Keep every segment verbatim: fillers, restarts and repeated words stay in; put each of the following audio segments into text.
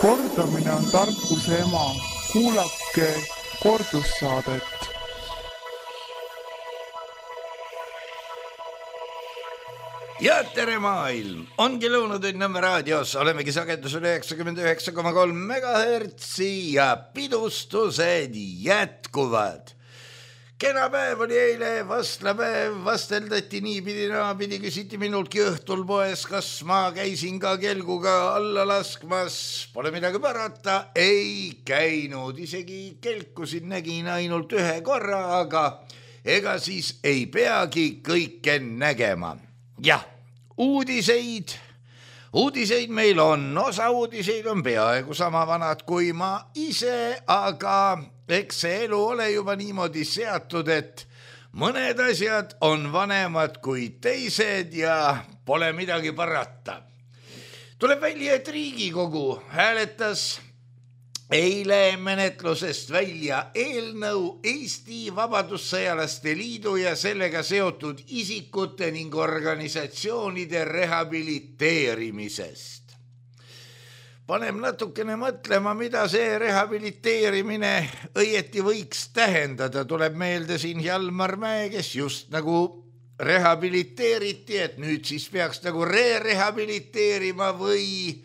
Kordamine on tarkuse ema. Kuulake kordussaadet. Ja tere maailm! Ongi Lõunatund Nõmme raadios. Olemegi sagedusel üheksakümmend üheksa koma kolm megahertsi ja pidustused jätkuvad. Kena päev oli eile, vastlapäev, vasteldati niipidi, naapidi, küsiti minultki õhtul poes, kas ma käisin ka kelguga alla laskmas. Pole midagi parata, ei käinud. Isegi kelkusin nägin ainult ühe korra, aga ega siis ei peagi kõike nägema. Jah, uudiseid. Uudiseid meil on. Osa uudiseid on peaaegu sama vanad kui ma ise, aga eks see elu ole juba niimoodi seatud, et mõned asjad on vanemad kui teised ja pole midagi parata. Tuleb välja, et Riigikogu hääletas eile menetlusest välja eelnõu Eesti Vabadussõjalaste Liidu ja sellega seotud isikute ning organisatsioonide rehabiliteerimisest. Panem natukene mõtlema, mida see rehabiliteerimine õieti võiks tähendada. Tuleb meelde siin Hjalmar Mäe, kes just nagu rehabiliteeriti, et nüüd siis peaks nagu re-rehabiliteerima või...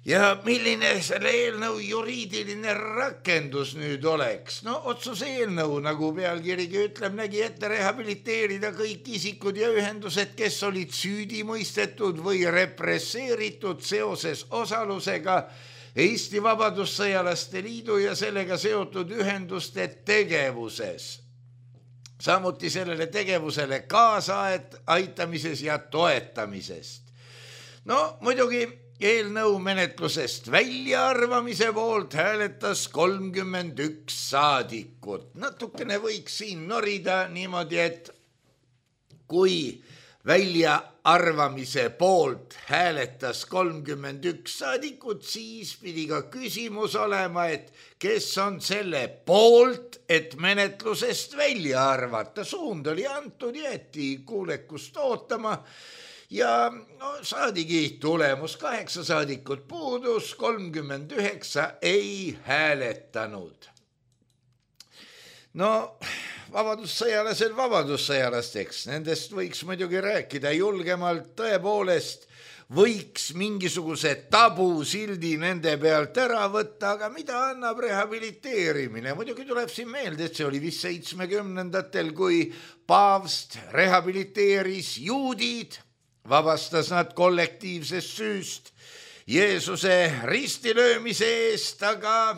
Ja milline selle eelnõu juriidiline rakendus nüüd oleks? No otsuse eelnõu, nagu pealkirigi ütleb, nägi ette rehabiliteerida kõik isikud ja ühendused, kes olid süüdi mõistetud või represseeritud seoses osalusega Eesti Vabadussõjalaste Liidu ja sellega seotud ühenduste tegevuses. Samuti sellele tegevusele kaasa aitamises ja toetamisest. No muidugi eelnõu menetlusest väljaarvamise poolt hääletas kolmkümmend üks saadikut. Natukene võiks siin norida niimoodi, et kui väljaarvamise poolt hääletas kolmkümmend üks saadikut, siis pidi ka küsimus olema, et kes on selle poolt, et menetlusest välja arvata. Suund oli antud, jäeti kuulekust ootama. Ja no, saadigi tulemus, kaheksa saadikut puudus, kolmkümmend üheksa ei hääletanud. No, vabadussõjalased vabadussõjalasteks, nendest võiks muidugi rääkida julgemalt, tõepoolest võiks mingisuguse tabusildi nende pealt ära võtta, aga mida annab rehabiliteerimine? Muidugi tuleb siin meelde, et see oli vist seitsmekümnendatel, kui paavst rehabiliteeris juudid, vabastas nad kollektiivsest süüst Jeesuse ristilöömise eest, aga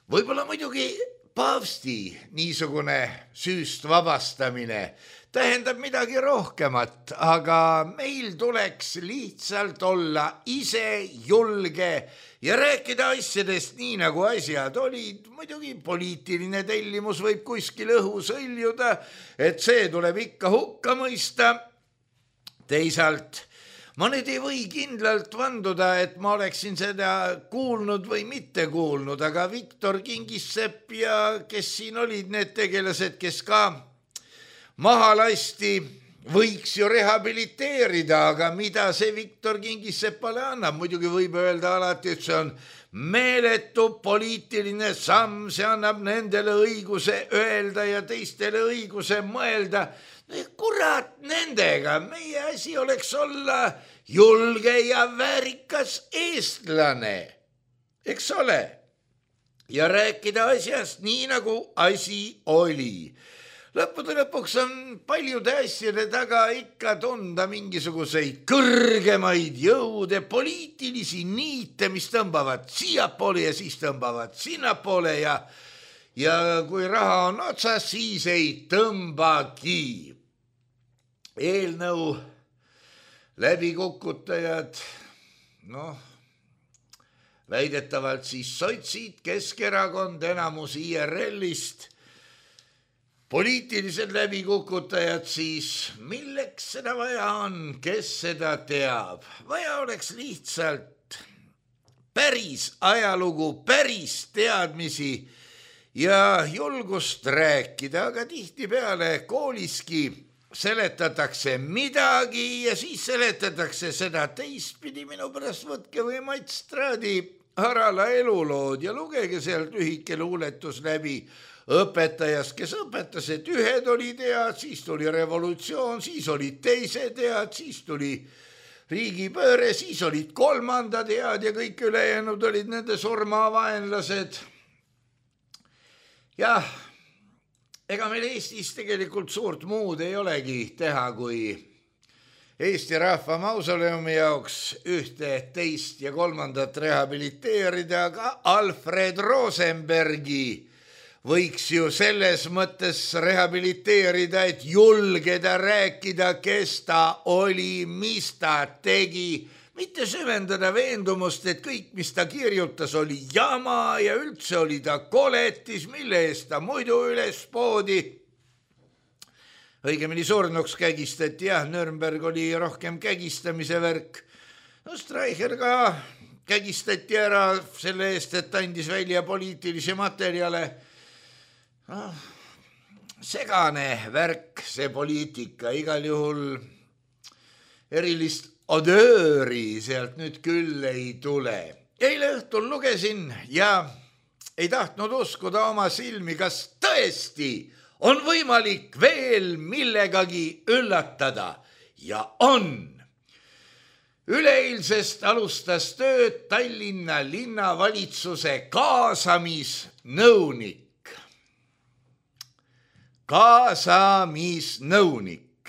võib-olla muidugi paavsti niisugune süüst vabastamine tähendab midagi rohkemat, aga meil tuleks lihtsalt olla ise julge ja rääkida asjadest nii, nagu asjad olid. Muidugi poliitiline tellimus võib kuskil õhus õljuda, et see tuleb ikka hukka mõista. Teisalt, ma nüüd ei või kindlalt vanduda, et ma oleksin seda kuulnud või mitte kuulnud, aga Viktor Kingissepp ja kes siin olid need tegelased, kes ka maha lasti, võiks ju rehabiliteerida, aga mida see Viktor Kingisseppale annab? Muidugi võib öelda alati, et see on meeletu poliitiline samm, see annab nendele õiguse öelda ja teistele õiguse mõelda. Kurat nendega, meie asi oleks olla julge ja väärikas eestlane, eks ole, ja rääkida asjast nii, nagu asi oli. Lõppude lõpuks on paljude asjade taga ikka tunda mingisuguseid kõrgemaid jõude, poliitilisi niite, mis tõmbavad siiapoole ja siis tõmbavad sinnapoole ja, ja kui raha on otsas, siis ei tõmbagi. Eelnõu läbikukutajad, noh, väidetavalt siis sotsid, Keskerakond, enamus I R L-ist, poliitilised läbikukutajad siis, milleks seda vaja on, kes seda teab? Vaja oleks lihtsalt päris ajalugu, päris teadmisi ja julgust rääkida, aga tihtipeale kooliski seletatakse midagi ja siis seletatakse seda teistpidi. Minu pärast võtke või Mats Traadi Harala elulood ja lugege sealt lühike luuletus läbi õpetajast, kes õpetas, et ühed olid head, siis tuli revolutsioon, siis olid teised head, siis tuli riigipööre, siis olid kolmandad head ja kõik ülejäänud olid nende surmavaenlased. Jah, ega meil Eestis tegelikult suurt muud ei olegi teha, kui Eesti Rahva Mausoleumi jaoks ühte, teist ja kolmandat rehabiliteerida, aga Alfred Rosenbergi võiks ju selles mõttes rehabiliteerida, et julgeda rääkida, kes ta oli, mis ta tegi, mitte süvendada veendumust, et kõik, mis ta kirjutas, oli jama ja üldse oli ta koletis, mille eest ta muidu üles poodi. Õigemini surnuks kägistati, jah, Nürnberg oli rohkem kägistamise värk. No Streicher ka kägistati ära selle eest, et andis välja poliitilisi materjale. No, segane värk, see poliitika, igal juhul erilist odööri sealt nüüd küll ei tule. Eile õhtul lugesin ja ei tahtnud uskuda oma silmi, kas tõesti on võimalik veel millegagi üllatada ja on. Üleeilsest alustas tööd Tallinna linnavalitsuse kaasamisnõunik. Kaasamisnõunik,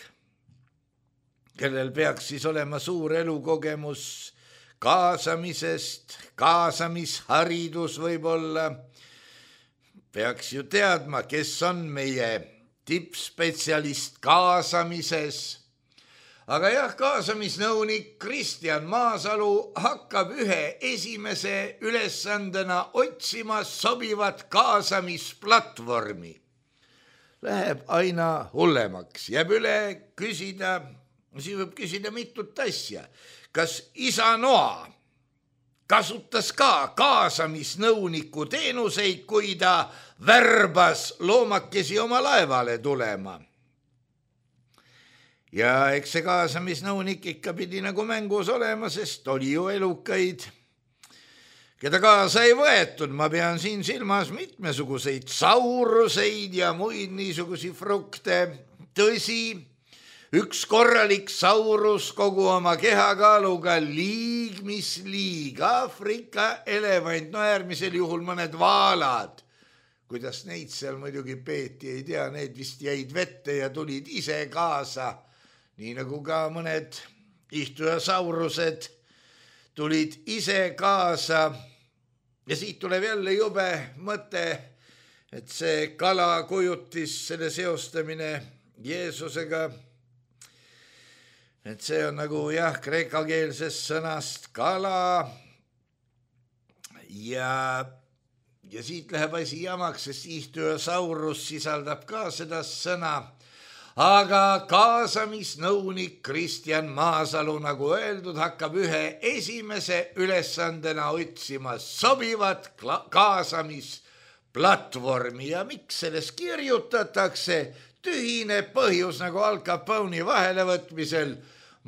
kellel peaks siis olema suur elukogemus kaasamisest, kaasamisharidus võib-olla, peaks ju teadma, kes on meie tippspetsialist kaasamises. Aga jah, kaasamisnõunik Kristjan Maasalu hakkab ühe esimese ülesandena otsima sobivat kaasamisplatvormi. Läheb aina hullemaks, jääb üle küsida, siin võib küsida mitut asja. Kas isa Noa kasutas ka kaasamisnõuniku teenuseid, kui ta värbas loomakesi oma laevale tulema? Ja eks see kaasamisnõunik ikka pidi nagu mängus olema, sest oli ju elukaid, keda kaasa ei võetud. Ma pean siin silmas mitmesuguseid sauruseid ja muid niisugusi frukte. Tõsi, üks korralik saurus kogu oma kehakaaluga liig, mis liig, Aafrika elevant, no äärmisel juhul mõned vaalad. Kuidas neid seal muidugi peeti, ei tea, need vist jäid vette ja tulid ise kaasa, nii nagu ka mõned ihtujasaurused tulid ise kaasa. Ja siit tuleb jälle jube mõte, et see kala kujutis, selle seostamine Jeesusega, et see on nagu jah, kreekakeelsest sõnast kala ja, ja siit läheb asi jamaks, sest ihtujasaurus sisaldab ka seda sõna. Aga kaasamisnõunik Kristjan Maasalu, nagu öeldud, hakkab ühe esimese ülesandena otsima sobivat kaasamisplatvormi ja miks selles kirjutatakse? Tühine põhjus nagu Al Capone'i vahelevõtmisel.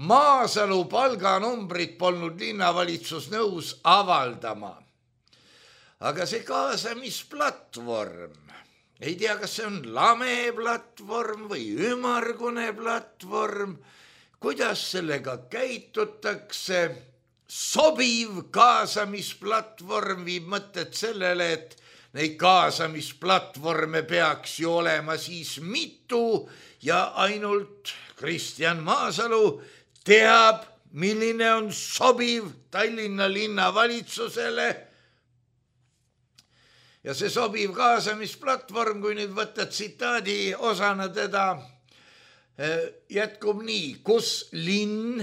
Maasalu palganumbrit polnud linnavalitsus nõus avaldama. Aga see kaasamisplatvorm, ei tea, kas see on lame platvorm või ümargune platvorm, kuidas sellega käitutakse. Sobiv kaasamisplatvorm viib mõtted sellele, et neid kaasamisplatvorme peaks ju olema siis mitu ja ainult Kristjan Maasalu teab, milline on sobiv Tallinna linnavalitsusele. Ja see sobiv kaasamisplatvorm, kui nüüd võtta tsitaadi osana teda, jätkub nii, kus linn,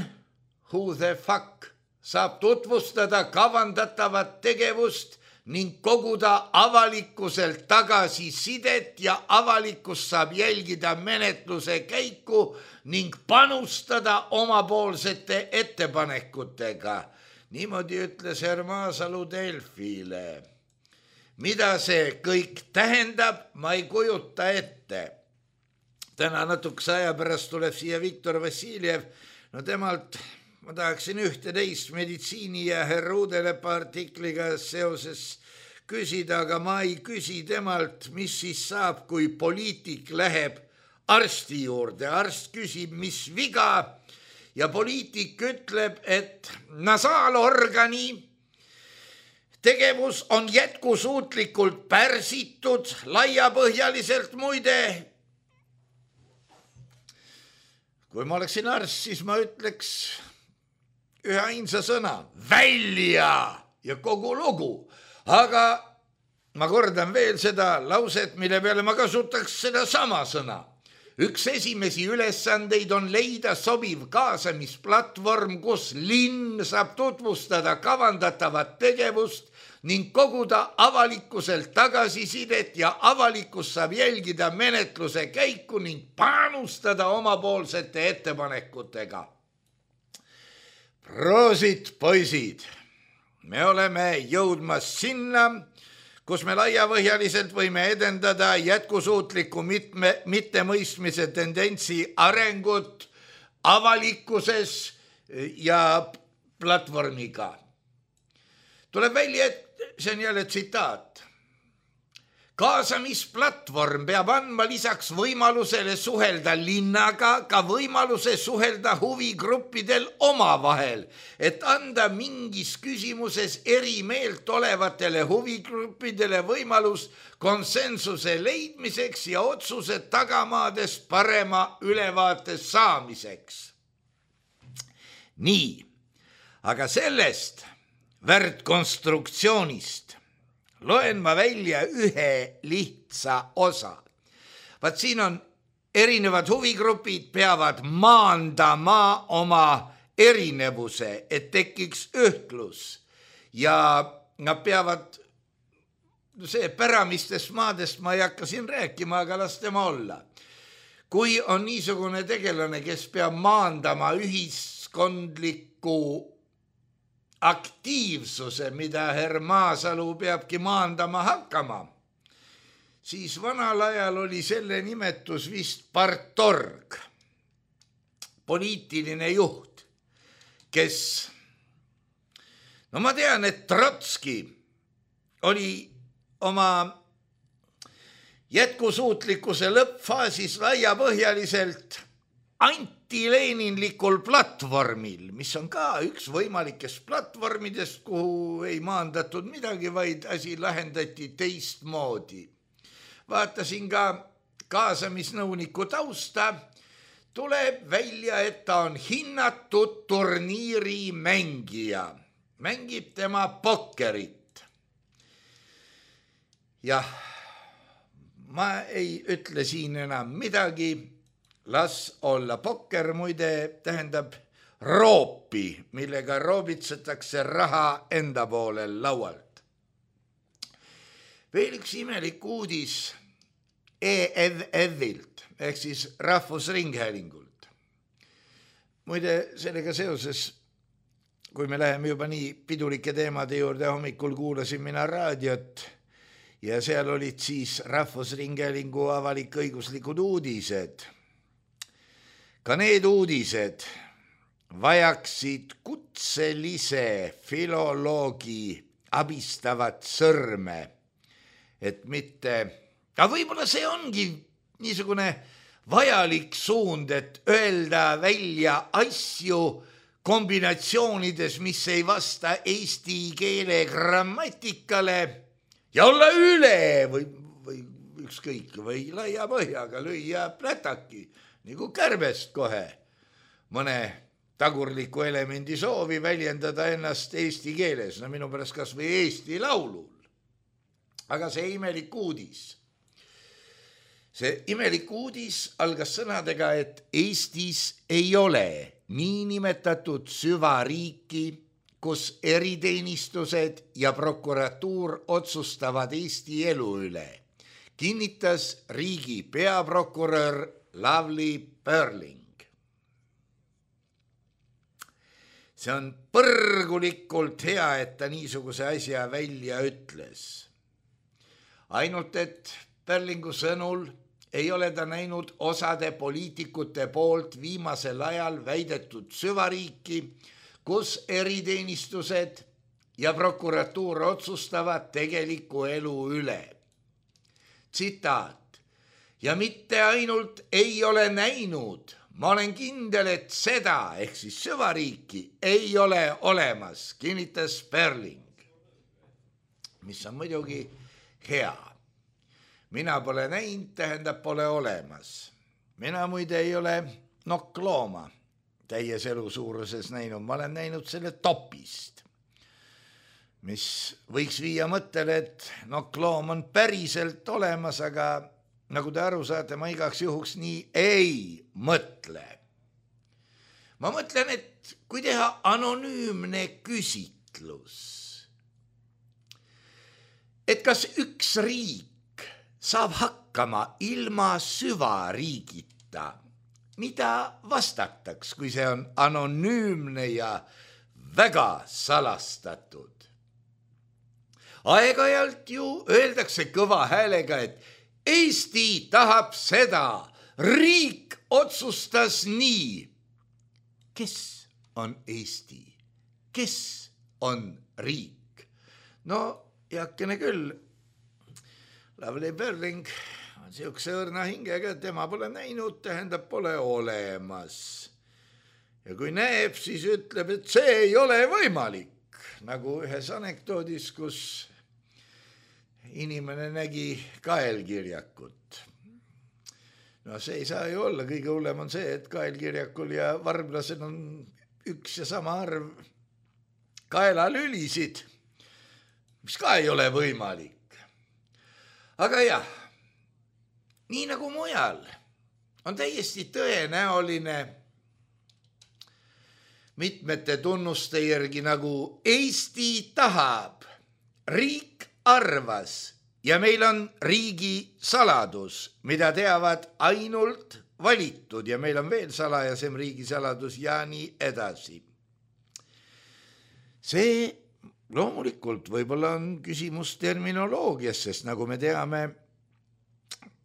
who the fuck, saab tutvustada kavandatavat tegevust ning koguda avalikkuselt tagasisidet ja avalikkus saab jälgida menetluse käiku ning panustada omapoolsete ettepanekutega. Niimoodi ütles härra Maasalu Delfile. Mida see kõik tähendab, ma ei kujuta ette. täna natukese aja pärast tuleb siia Viktor Vassiljev, no temalt ma tahaksin ühte-teist meditsiini ja härra Uudelepa artikliga seoses küsida, aga ma ei küsi temalt, mis siis saab, kui poliitik läheb arsti juurde. Arst küsib, mis viga ja poliitik ütleb, et nasaalorgani tegevus on jätkusuutlikult pärsitud laiapõhjaliselt muide. Kui ma oleksin arst, siis ma ütleks ühe ainsa sõna, välja ja kogu lugu. Aga ma kordan veel seda lauset, mille peale ma kasutaks seda sama sõna. Üks esimesi ülesandeid on leida sobiv kaasamisplatvorm, kus linn saab tutvustada kavandatavat tegevust ning koguda avalikkuselt tagasisidet ja avalikkus saab jälgida menetluse käiku ning panustada omapoolsete ettepanekutega. Proosit, poisid! Me oleme jõudmas sinna, kus me laiapõhjaliselt võime edendada jätkusuutliku mitme, mittemõistmise tendentsi arengut avalikkuses ja platvormiga. Tuleb välja, et see on jälle tsitaat. Kaasamisplatvorm peab andma lisaks võimalusele suhelda linnaga ka võimaluse suhelda huvigruppidel omavahel, et anda mingis küsimuses eri meelt olevatele huvigruppidele võimalus konsensuse leidmiseks ja otsuse tagamaadest parema ülevaate saamiseks. Nii, aga sellest värdkonstruktsioonist loen ma välja ühe lihtsa osa. Vaat siin on erinevad huvigrupid peavad maandama oma erinevuse, et tekiks ühtlus ja nad peavad, see päramistest maadest ma ei hakka siin rääkima, aga las tema olla. Kui on niisugune tegelane, kes peab maandama ühiskondliku aktiivsuse, mida herr Maasalu peabki maandama hakkama, siis vanal ajal oli selle nimetus vist partorg, poliitiline juht, kes, no ma tean, et Trotski oli oma jätkusuutlikkuse lõppfaasis laiapõhjaliselt antileninlikul platvormil, mis on ka üks võimalikest platvormidest, kuhu ei maandatud midagi, vaid asi lahendati teistmoodi. Vaatasin ka kaasamisnõuniku tausta, tuleb välja, et ta on hinnatud turniiri mängija. Mängib tema pokkerit. Jah, ma ei ütle siin enam midagi. Las olla. Pokker muide tähendab roopi, millega roobitsetakse raha enda poolel laualt. Veel üks imelik uudis E F F-ilt, ehk siis Rahvusringhäälingult. Muide, sellega seoses, kui me läheme juba nii pidulike teemade juurde, hommikul kuulasin mina raadiot ja seal olid siis Rahvusringhäälingu avalik-õiguslikud uudised. Ka need uudised vajaksid kutselise filoloogi abistavat sõrme, et mitte, aga võib-olla see ongi niisugune vajalik suund, et öelda välja asju kombinatsioonides, mis ei vasta eesti keele grammatikale ja olla üle või, või ükskõik või laia põhjaga lüüa plätaki, nagu kärbest kohe mõne tagurliku elemendi soovi väljendada ennast eesti keeles, no minu pärast kas või eesti laulul. Aga see imelik uudis, see imelik uudis algas sõnadega, et Eestis ei ole niinimetatud süvariiki, kus eriteenistused ja prokuratuur otsustavad Eesti elu üle, kinnitas riigi peaprokurör Lavly Perling. See on põrgulikult hea, et ta niisuguse asja välja ütles. Ainult, et Perlingu sõnul ei ole ta näinud osade poliitikute poolt viimasel ajal väidetud süvariiki, kus eriteenistused ja prokuratuur otsustavad tegeliku elu üle. Tsitaat. Ja mitte ainult ei ole näinud, ma olen kindel, et seda ehk siis süvariiki ei ole olemas, kinnitas Sperling. Mis on muidugi hea. Mina pole näinud, tähendab pole olemas. Mina muide ei ole nokklooma täies elu suuruses näinud, ma olen näinud selle topist, mis võiks viia mõttele, et nokkloom on päriselt olemas, aga nagu te aru saate, ma igaks juhuks nii ei mõtle. Ma mõtlen, et kui teha anonüümne küsitlus, et kas üks riik saab hakkama ilma süvariigita, mida vastataks, kui see on anonüümne ja väga salastatud? Aeg-ajalt ju öeldakse kõva häälega, et Eesti tahab seda, riik otsustas nii. Kes on Eesti? Kes on riik? No, jakene küll. Lavly Perling on siukse õrna hingega, et tema pole näinud, tähendab pole olemas. Ja kui näeb, siis ütleb, et see ei ole võimalik. Nagu ühes anekdoodis, kus inimene nägi kaelkirjakut. No see ei saa ju olla, kõige hullem on see, et kaelkirjakul ja varblasel on üks ja sama arv kaelalülisid, mis ka ei ole võimalik. Aga jah, nii nagu mujal on täiesti tõenäoline mitmete tunnuste järgi, nagu Eesti tahab, riik arvas ja meil on riigi saladus, mida teavad ainult valitud ja meil on veel salajasem riigi saladus ja nii edasi. See loomulikult võib-olla on küsimus terminoloogias, sest nagu me teame,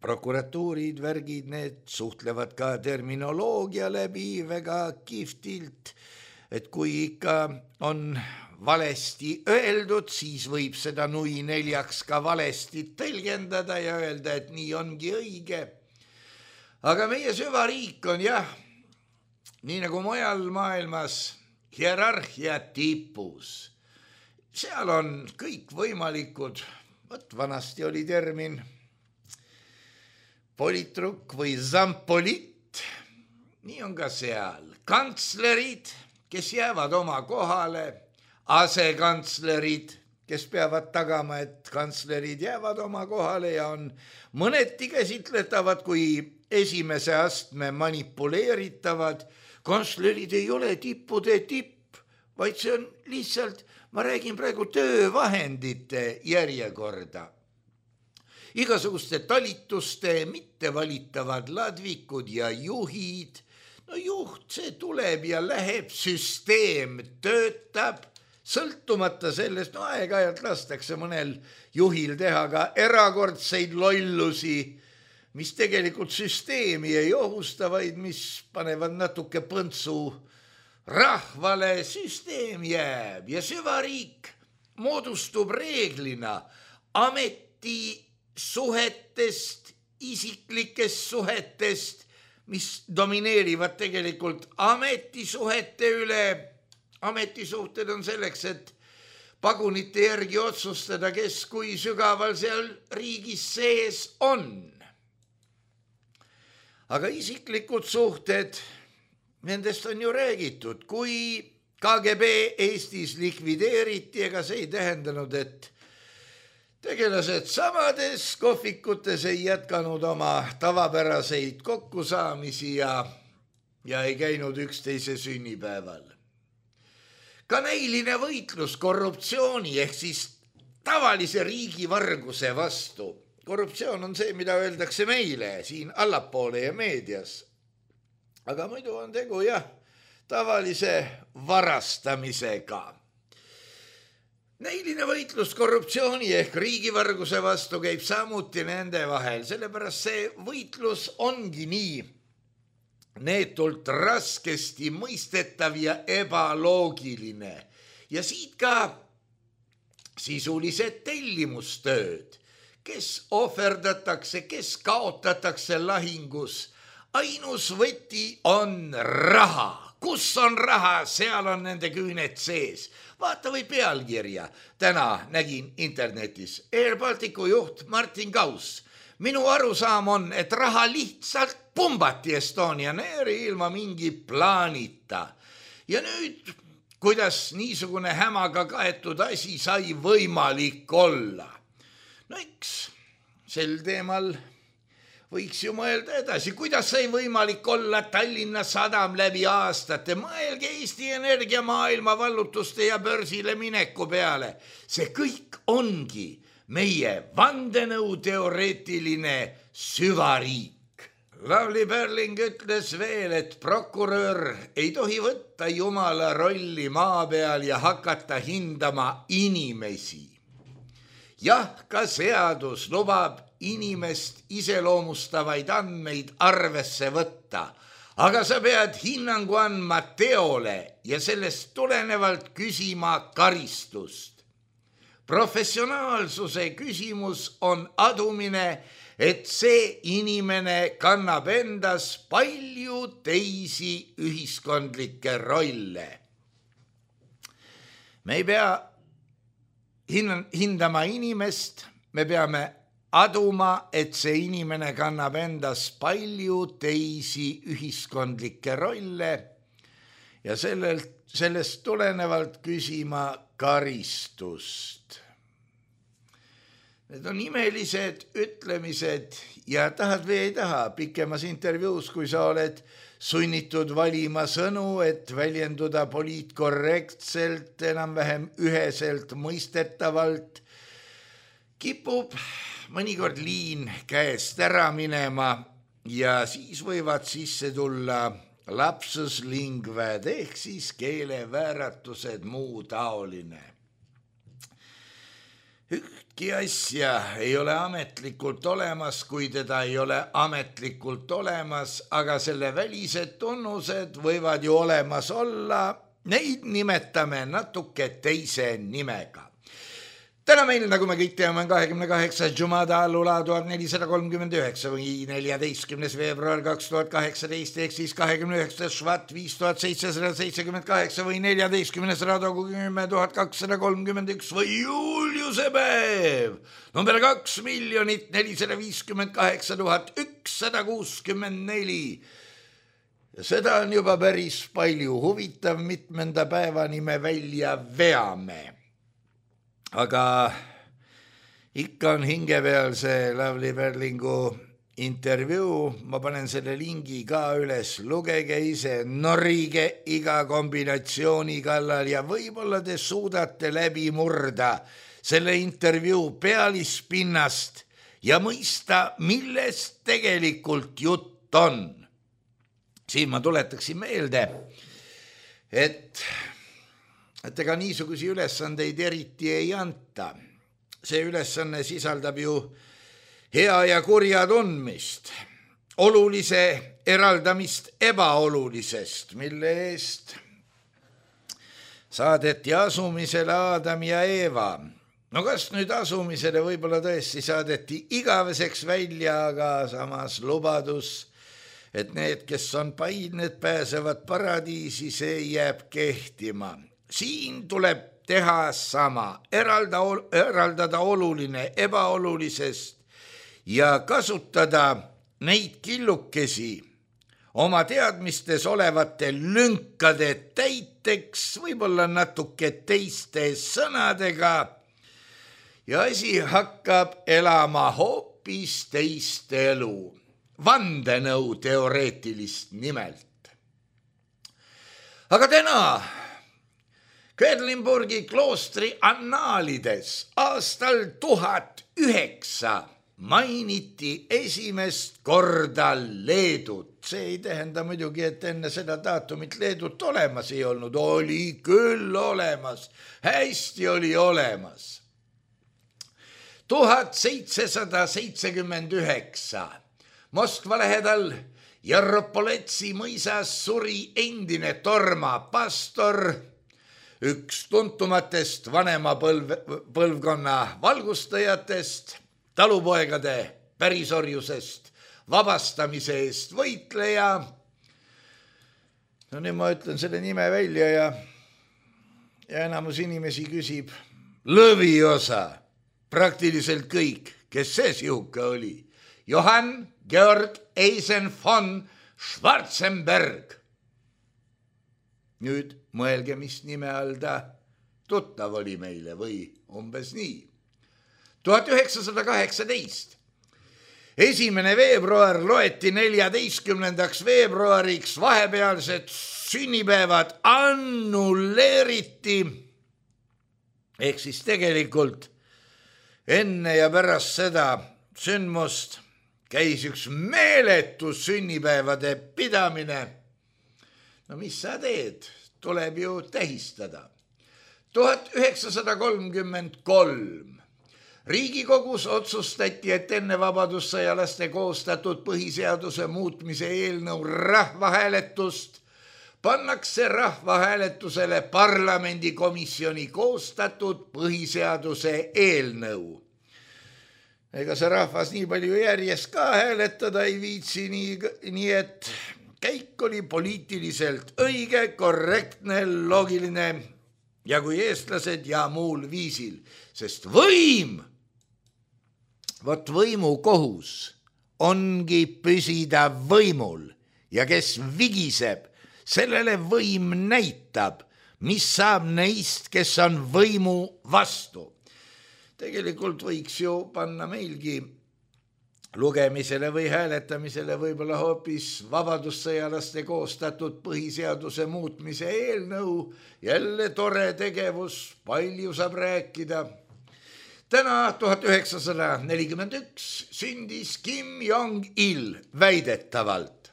prokuratuurid, värgid, need suhtlevad ka terminoloogia läbi väga kihvtilt, et kui ikka on valesti öeldud, siis võib seda nui neljaks ka valesti tõlgendada ja öelda, et nii ongi õige. Aga meie süvariik on jah, nii nagu mujal maailmas, hierarhia tipus. Seal on kõik võimalikud, võt vanasti oli termin politruk või zampolit, nii on ka seal. Kantslerid, kes jäävad oma kohale, asekantslerid, kes peavad tagama, et kantslerid jäävad oma kohale ja on mõneti käsitletavad kui esimese astme manipuleeritavad. Kantslerid ei ole tippude tipp, vaid see on lihtsalt, ma räägin praegu töövahendite järjekorda. Igasuguste talituste mittevalitavad ladvikud ja juhid. No juht, see tuleb ja läheb, süsteem töötab, sõltumata sellest, no aeg-ajalt lastakse mõnel juhil teha ka erakordseid lollusi, mis tegelikult süsteemi ei ohusta, vaid mis panevad natuke põntsu rahvale. Süsteem jääb ja süvariik moodustub reeglina ametisuhetest, isiklikest suhetest, mis domineerivad tegelikult ametisuhete üle. Ametisuhted on selleks, et pagunite järgi otsustada, kes kui sügaval seal riigis sees on. Aga isiklikud suhted, nendest on ju räägitud, kui K G B Eestis likvideeriti, ega see ei tähendanud, et tegelased samades kohvikutes ei jätkanud oma tavapäraseid kokkusaamisi ja, ja ei käinud üksteise sünnipäeval. Ka näiline võitlus korruptsiooni ehk siis tavalise riigivarguse vastu. Korruptsioon on see, mida öeldakse meile siin allapoole ja meedias. Aga muidu on tegu jah, tavalise varastamisega. Näiline võitlus korruptsiooni ehk riigivarguse vastu käib samuti nende vahel, sellepärast see võitlus ongi nii neetult raskesti mõistetav ja ebaloogiline. Ja siit ka sisulised tellimustööd, kes ohverdatakse, kes kaotatakse lahingus. Ainus võti on raha. Kus on raha, seal on nende küüned sees. Vaata või pealkirja. Täna nägin internetis Air Balticu juht Martin Kaus. Minu arusaam on, et raha lihtsalt pumbati Estonian Airi ilma mingi plaanita. Ja nüüd, kuidas niisugune hämaga kaetud asi sai võimalik olla? No eks sel teemal võiks ju mõelda edasi, kuidas sai võimalik olla Tallinna Sadam läbi aastate. Mõelge Eesti Energia maailma vallutuste ja börsile mineku peale. See kõik ongi meie vandenõuteoreetiline süvariik. Lavly Perling ütles veel, et prokurör ei tohi võtta jumala rolli maa peal ja hakata hindama inimesi. Jah, ka seadus lubab inimest iseloomustavaid andmeid arvesse võtta, aga sa pead hinnangu andma teole ja sellest tulenevalt küsima karistust. Professionaalsuse küsimus on adumine, et see inimene kannab endas palju teisi ühiskondlikke rolle. Me ei pea hindama inimest, me peame aduma, et see inimene kannab endas palju teisi ühiskondlikke rolle ja sellelt, sellest tulenevalt küsima karistust. Need on imelised ütlemised ja tahad või ei taha pikemas intervjuus, kui sa oled sunnitud valima sõnu, et väljenduda poliitkorrektselt, enam-vähem üheselt mõistetavalt, kipub mõnikord liin käest ära minema ja siis võivad sisse tulla lapsus linguae ehk siis keelevääratused, muu taoline. Ühtki asja ei ole ametlikult olemas, kui teda ei ole ametlikult olemas, aga selle välised tunnused võivad ju olemas olla, neid nimetame natuke teise nimega. Täna meil, nagu me kõik teame, on kahekümne kaheksas Jumada allula tuhat nelisada kolmkümmend üheksa või neljateistkümnes veebruar kaks tuhat kaheksateist ehk siis kahekümne üheksas Švat viis tuhat seitsesada seitsekümmend kaheksa või neljateistkümnes Radogu kümme tuhat kakssada kolmkümmend üks või Juliuse päev number kaks miljonit nelisada viiskümmend kaheksa tuhat ükssada kuuskümmend neli. Seda on juba päris palju. Huvitav, mitmenda päevani me välja veame. Aga ikka on hinge peal see Lavly Perlingu intervjuu, ma panen selle lingi ka üles, lugege ise, norige iga kombinatsiooni kallal ja võib-olla te suudate läbi murda selle intervjuu pealispinnast ja mõista, millest tegelikult jutt on. Siin ma tuletaksin meelde, et et ega niisugusi ülesandeid eriti ei anta. See ülesanne sisaldab ju hea ja kurja tundmist, olulise eraldamist ebaolulisest, mille eest saadeti asumisele Aadam ja Eeva. No kas nüüd asumisele võib-olla tõesti saadeti igaveseks välja, aga samas lubadus, et need, kes on paid, need pääsevad paradiisi, see jääb kehtima. Siin tuleb teha sama, eralda, eraldada oluline ebaolulisest ja kasutada neid killukesi oma teadmistes olevate lünkade täiteks, võib-olla natuke teiste sõnadega ja asi hakkab elama hoopis teist elu, vandenõu teoreetilist nimelt. Aga täna Quedlinburgi kloostri annaalides aastal tuhat üheksa mainiti esimest korda Leedut. See ei tähenda muidugi, et enne seda daatumit Leedut olemas ei olnud. Oli küll olemas, hästi oli olemas. tuhat seitsesada seitsekümmend üheksa Moskva lähedal Jarropoletsi mõisas suri endine Torma pastor, üks tuntumatest vanema põlv, põlvkonna valgustajatest, talupoegade pärisorjusest vabastamise eest võitleja. No nüüd ma ütlen selle nime välja ja, ja enamus inimesi küsib lõviosa, praktiliselt kõik, kes see sihuke oli. Johann Georg Eisen von Schwarzenberg. Nüüd mõelge, mis nime all ta tuttav oli meile või umbes nii. tuhat üheksasada kaheksateist esimene veebruar loeti neljateistkümnendaks veebruariks, vahepealsed sünnipäevad annulleeriti. Ehk siis tegelikult enne ja pärast seda sündmust käis üks meeletu sünnipäevade pidamine. No mis sa teed? Tuleb ju tähistada. tuhat üheksasada kolmkümmend kolm Riigikogus otsustati, et enne vabadussõjalaste koostatud põhiseaduse muutmise eelnõu rahvahääletust pannakse rahvahääletusele parlamendikomisjoni koostatud põhiseaduse eelnõu. Ega see rahvas nii palju järjest ka hääletada ei viitsi, nii, nii et käik oli poliitiliselt õige, korrektne, loogiline ja kui eestlased ja muul viisil, sest võim, vot võimu kohus ongi püsida võimul ja kes vigiseb, sellele võim näitab, mis saab neist, kes on võimu vastu. Tegelikult võiks ju panna meilgi lugemisele või hääletamisele võib-olla hoopis vabadussõjalaste koostatud põhiseaduse muutmise eelnõu. Jälle tore tegevus, palju saab rääkida. Täna tuhat üheksasada nelikümmend üks sündis Kim Jong-il väidetavalt.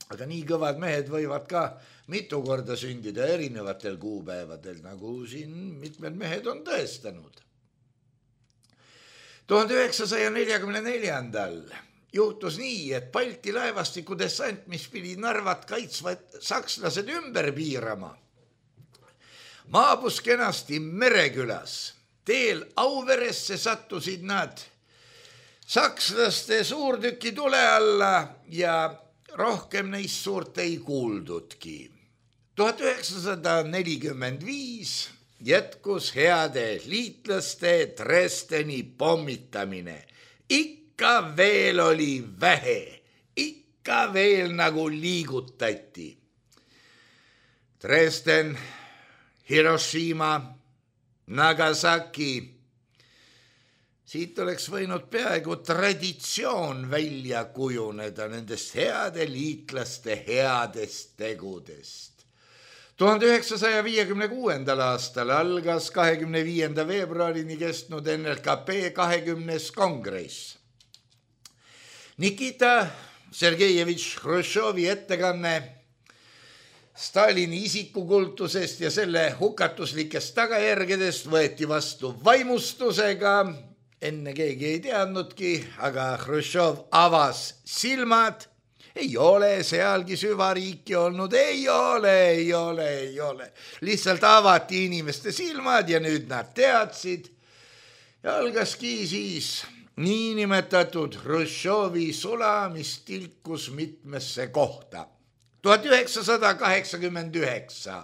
Aga nii kõvad mehed võivad ka mitu korda sündida erinevatel kuupäevadel, nagu siin mitmed mehed on tõestanud. tuhande üheksasaja neljakümne neljandal juhtus nii, et Balti laevastiku dessant, mis pidi Narvat kaitsvad sakslased ümber piirama, maabus kenasti Merekülas. Teel Auveresse sattusid nad sakslaste suurtüki tule alla ja rohkem neist suurt ei kuuldudki. tuhat üheksasada nelikümmend viis jätkus heade liitlaste Dresdeni pommitamine. Ikka veel oli vähe, ikka veel nagu liigutati. Dresden, Hiroshima, Nagasaki. Siit oleks võinud peaaegu traditsioon välja kujuneda nendest heade liitlaste headest tegudest. tuhande üheksasaja viiekümne kuuendal aastal algas kahekümne viienda veebruarini kestnud N L K P kahekümnes kongress. Nikita Sergejevitš Hruštšovi ettekanne Stalini isikukultusest ja selle hukatuslikest tagajärgedest võeti vastu vaimustusega. Enne keegi ei teadnudki, aga Hruštšov avas silmad. Ei ole sealgi süvariiki olnud, ei ole, ei ole, ei ole. Lihtsalt avati inimeste silmad ja nüüd nad teadsid. Ja algaski siis niinimetatud Hruštšovi sula, mis tilkus mitmesse kohta. tuhat üheksasada kaheksakümmend üheksa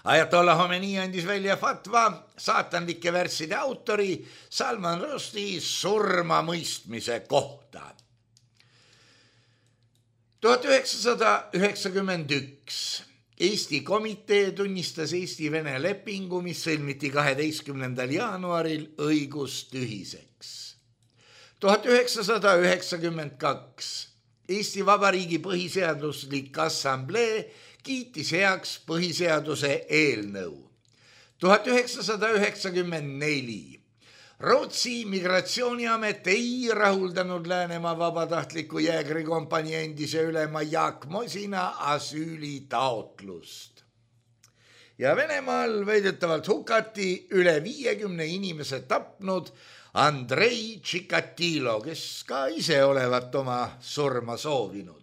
Ajatollah Khomeini andis välja fatva saatanlike värsside autori Salman Rushdie surma mõistmise kohta. tuhat üheksasada üheksakümmend üks Eesti komitee tunnistas Eesti-Vene lepingu, mis sõlmiti kaheteistkümnendal jaanuaril õigustühiseks. tuhat üheksasada üheksakümmend kaks Eesti Vabariigi põhiseaduslik assamblee kiitis heaks põhiseaduse eelnõu. tuhat üheksasada üheksakümmend neli Rootsi migratsiooniamet ei rahuldanud Läänemaa vabatahtliku jäägrikompanii endise ülema Jaak Mosina asüülitaotlust. Ja Venemaal väidetavalt hukati üle viiekümne inimese tapnud Andrei Tšikatilo, kes ka ise olevat oma surma soovinud.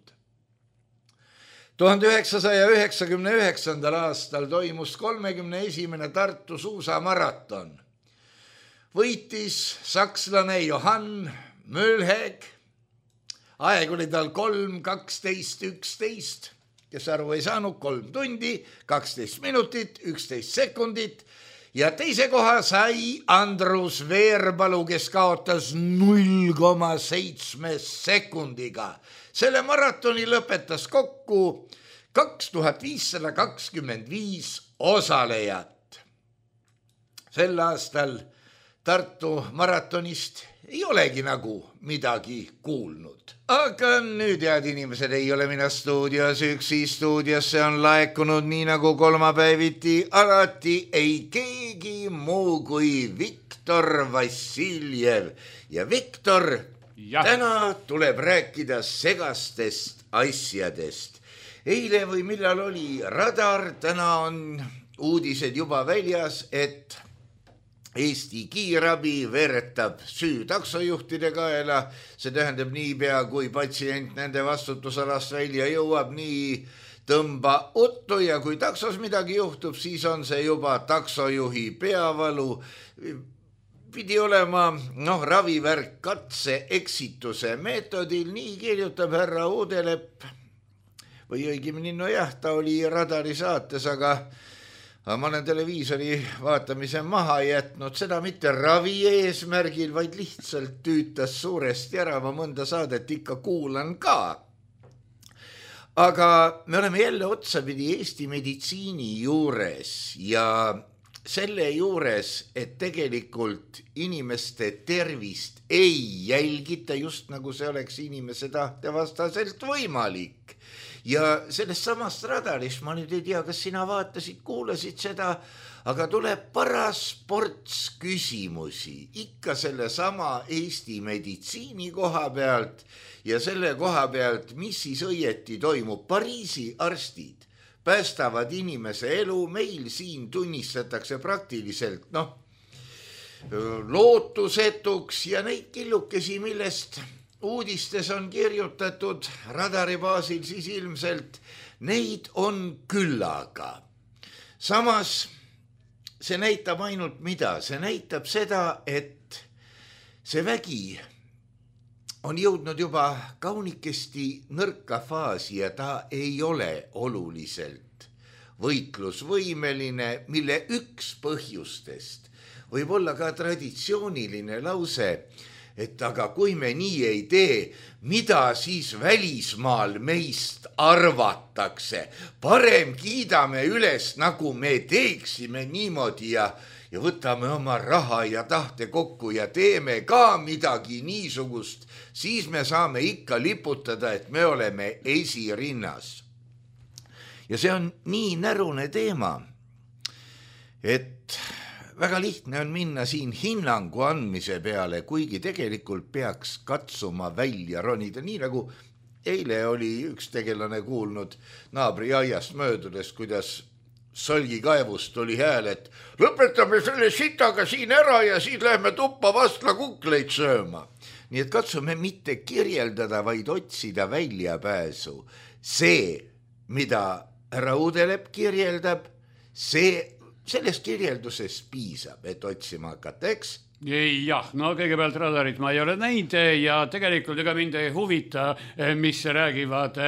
tuhande üheksasaja üheksakümne üheksandal aastal toimus kolmekümne esimene Tartu suusamaraton. Võitis sakslane Johann Möllheg, aeg oli tal kolm, kaksteist, üksteist, kes aru ei saanud, kolm tundi, kaksteist minutit, üksteist sekundit ja teise koha sai Andrus Veerpalu, kes kaotas null koma seitse sekundiga. Selle maratoni lõpetas kokku kaks tuhat viissada kakskümmend viis osalejat. Sel aastal Tartu maratonist ei olegi nagu midagi kuulnud. Aga nüüd, head inimesed, ei ole mina stuudios üksi, stuudiosse on laekunud nii nagu kolmapäeviti alati ei keegi muu kui Viktor Vassiljev. Ja Viktor, ja. Täna tuleb rääkida segastest asjadest. Eile või millal oli Radar, täna on uudised juba väljas, et Eesti kiirabi veeretab süü taksojuhtide kaela, see tähendab niipea, kui patsient nende vastutusalast välja jõuab, nii tõmba uttu ja kui taksos midagi juhtub, siis on see juba taksojuhi peavalu. Pidi olema noh, ravivärk katse eksituse meetodil, nii kirjutab härra Uudelepp või õigemini, no jah, ta oli Radari saates, aga Aga ma olen televiisori vaatamise maha jätnud, seda mitte ravi eesmärgil, vaid lihtsalt tüütas suuresti ära, ma mõnda saadet ikka kuulan ka. Aga me oleme jälle otsapidi Eesti meditsiini juures ja selle juures, et tegelikult inimeste tervist ei jälgita, just nagu see oleks inimese tahte vastaselt võimalik. Ja sellest samast Radarist, ma nüüd ei tea, kas sina vaatasid, kuulasid seda, aga tuleb paras ports küsimusi ikka selle sama Eesti meditsiini koha pealt ja selle koha pealt, mis siis õieti toimub. Pariisi arstid päästavad inimese elu, meil siin tunnistatakse praktiliselt noh, lootusetuks ja neid killukesi, millest uudistes on kirjutatud Radari baasil, siis ilmselt neid on küllaga. Samas see näitab ainult mida? See näitab seda, et see vägi on jõudnud juba kaunikesti nõrka faasi ja ta ei ole oluliselt võitlusvõimeline, mille üks põhjustest võib olla ka traditsiooniline lause, et aga kui me nii ei tee, mida siis välismaal meist arvatakse? Parem kiidame üles, nagu me teeksime niimoodi ja, ja võtame oma raha ja tahte kokku ja teeme ka midagi niisugust, siis me saame ikka liputada, et me oleme esirinnas. Ja see on nii närune teema, et väga lihtne on minna siin hinnangu andmise peale, kuigi tegelikult peaks katsuma välja ronida, nii nagu eile oli üks tegelane kuulnud naabri aiast möödudes, kuidas solgikaevust tuli hääl, et lõpetame selle sitaga siin ära ja siis lähme tuppa vastla kukleid sööma. Nii et katsume mitte kirjeldada, vaid otsida väljapääsu. See, mida härra Uudelepp kirjeldab, see sellest kirjeldusest piisab, et otsima hakata, eks? Jah, no kõigepealt Radarit ma ei ole näinud ja tegelikult ega mind ei huvita, mis räägivad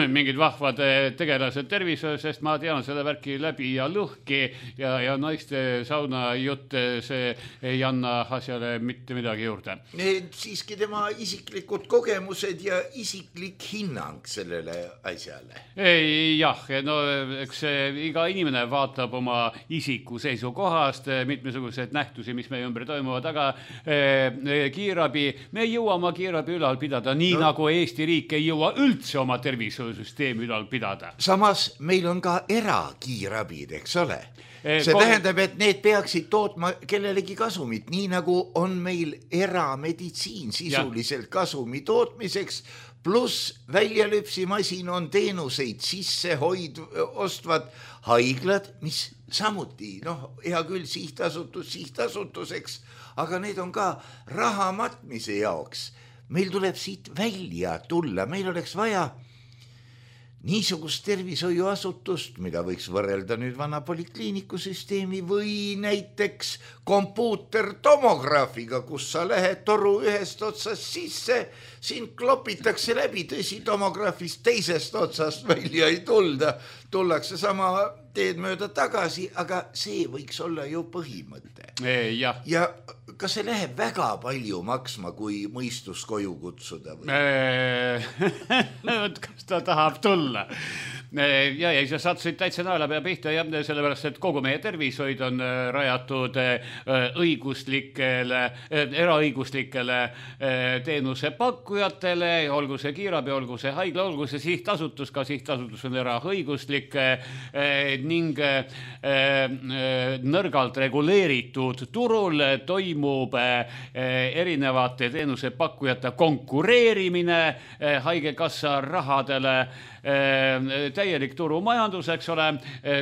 mingid vahvad tegelased tervise, sest ma tean seda värki läbi ja lõhki ja, ja naiste sauna jutt, see ei anna asjale mitte midagi juurde. Siiski tema isiklikud kogemused ja isiklik hinnang sellele asjale. Ei, jah, no eks iga inimene vaatab oma isiku seisukohast mitmesugused nähtusi, mis meie ümber toimuvad, aga eh, kiirabi, me ei jõua oma kiirabi ülal pidada, nii no. Nagu Eesti riik ei jõua üldse oma tervis süsteemi ülal pidada. Samas meil on ka erakiirabid, eks ole? see Kom... tähendab, et need peaksid tootma kellelegi kasumit, nii nagu on meil erameditsiin sisuliselt ja. Kasumi tootmiseks, pluss väljalüpsimasin on teenuseid sisse hoid, ostvad haiglad, mis samuti, noh, hea küll sihtasutus sihtasutuseks, aga need on ka raha matmise jaoks. Meil tuleb siit välja tulla, meil oleks vaja niisugust tervishoiuasutust, mida võiks võrrelda nüüd vana polikliinikusüsteemi või näiteks kompuutertomograafiga, kus sa lähed toru ühest otsast sisse, sind klopitakse läbi, tõsi, tomograafist teisest otsast välja ei tulda, tullakse sama teed mööda tagasi, aga see võiks olla ju põhimõte. Ja, ja kas see läheb väga palju maksma, kui mõistus koju kutsuda? Või? Kas ta tahab tulla? Ja, ja sa sattusid täitsa naela pea pihta, ja sellepärast, et kogu meie tervishoid on rajatud õiguslikele, eraõiguslikele teenusepakkujatele, olgu see kiirabi, olgu see haigla, olgu see sihtasutus, ka sihtasutus on eraõiguslik ning nõrgalt reguleeritud turul toimub erinevate teenusepakkujate konkureerimine haigekassa rahadele, täielik turumajandus, eks ole,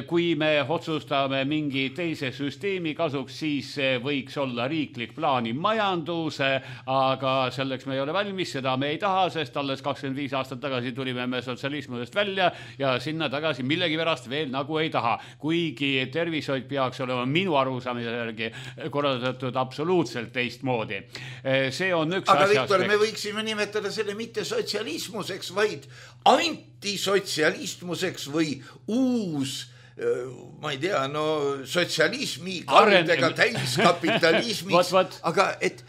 kui me otsustame mingi teise süsteemi kasuks, siis võiks olla riiklik plaanimajandus, aga selleks me ei ole valmis, seda me ei taha, sest alles kakskümmend viis aastat tagasi tulime me sotsialismidest välja ja sinna tagasi millegi pärast veel nagu ei taha, kuigi tervishoid peaks olema minu arusaamise järgi korraldatud absoluutselt teistmoodi. See on üks aga asjast. Viktor, me võiksime nimetada selle mitte sotsialismuseks, vaid antisotsialistmuseks või uus, ma ei tea, no sotsialismi kaldega täiskapitalismiks, aga et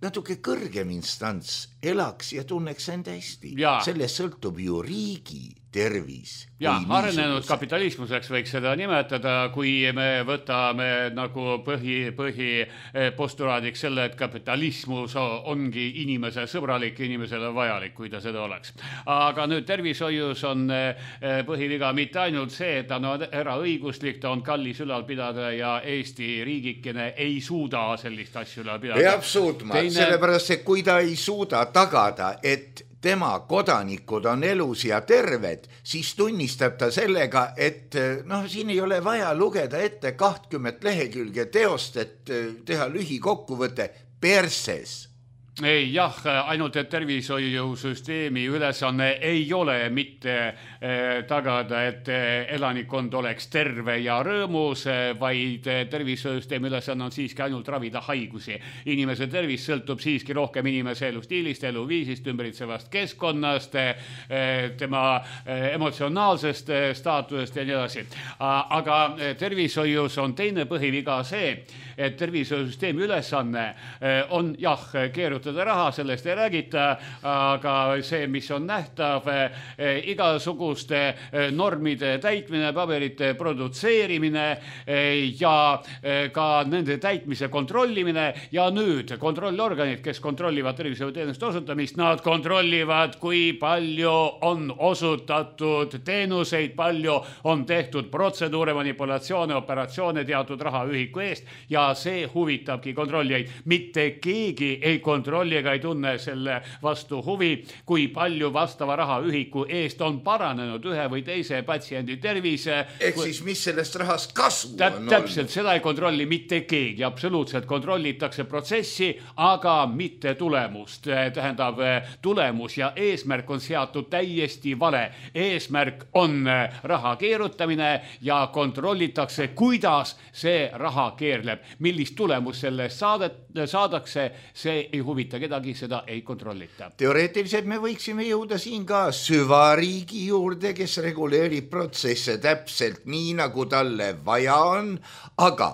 natuke kõrgem instants elaks ja tunneks end hästi. Ja. Sellest sõltub ju riigi tervis. Ja, arenenud kapitalismuseks võiks seda nimetada, kui me võtame nagu põhi, põhi postulaadiks selle, et kapitalismus ongi inimese sõbralik, inimesele vajalik, kui ta seda oleks. Aga nüüd tervishoius on põhiviga mitte ainult see, et ta on eraõiguslik, ta on kallis ülal pidada ja Eesti riigikene ei suuda sellist asju ülal pidada. Peab suutma, Teine... sellepärast, et kui ta ei suuda tagada, et tema kodanikud on elus ja terved, siis tunnistab ta sellega, et noh, siin ei ole vaja lugeda ette kahtkümmet lehekülge teost, et teha lühikokkuvõte perses. Ei, jah, ainult et tervishoiusüsteemi ülesanne ei ole mitte eh, tagada, et elanikkond oleks terve ja rõõmus, vaid tervishoiusüsteemi ülesanne on siiski ainult ravida haigusi. Inimese tervis sõltub siiski rohkem inimese elustiilist, eluviisist, ümbritsevast keskkonnast, eh, tema eh, emotsionaalsest eh, staatusest ja nii edasi. Aga tervishoius on teine põhiviga see, et tervishoiusüsteemi ülesanne eh, on jah, keerutada raha, sellest ei räägita, aga see, mis on nähtav, igasuguste normide täitmine, paberite produtseerimine ja ka nende täitmise kontrollimine ja nüüd kontrollorganid, kes kontrollivad tervishoiuteenuste osutamist, nad kontrollivad, kui palju on osutatud teenuseid, palju on tehtud protseduure, manipulatsioone, operatsioone teatud rahaühiku eest ja see huvitabki kontrollijaid. Mitte keegi ei kontrolli ega ei tunne selle vastu huvi, kui palju vastava rahaühiku eest on paranenud ühe või teise patsiendi tervise. Ehk siis mis sellest rahast kasu on olnud? Täpselt, seda ei kontrolli mitte keegi, absoluutselt kontrollitakse protsessi, aga mitte tulemust. Tähendab, tulemus ja eesmärk on seatud täiesti vale. Eesmärk on raha keerutamine ja kontrollitakse, kuidas see raha keerleb. Millist tulemus sellest saadet, saadakse, see ei huvita kedagi, seda ei kontrollita. Teoreetiliselt me võiksime jõuda siin ka süvariigi juurde, kes reguleerib protsesse täpselt nii, nagu talle vaja on, aga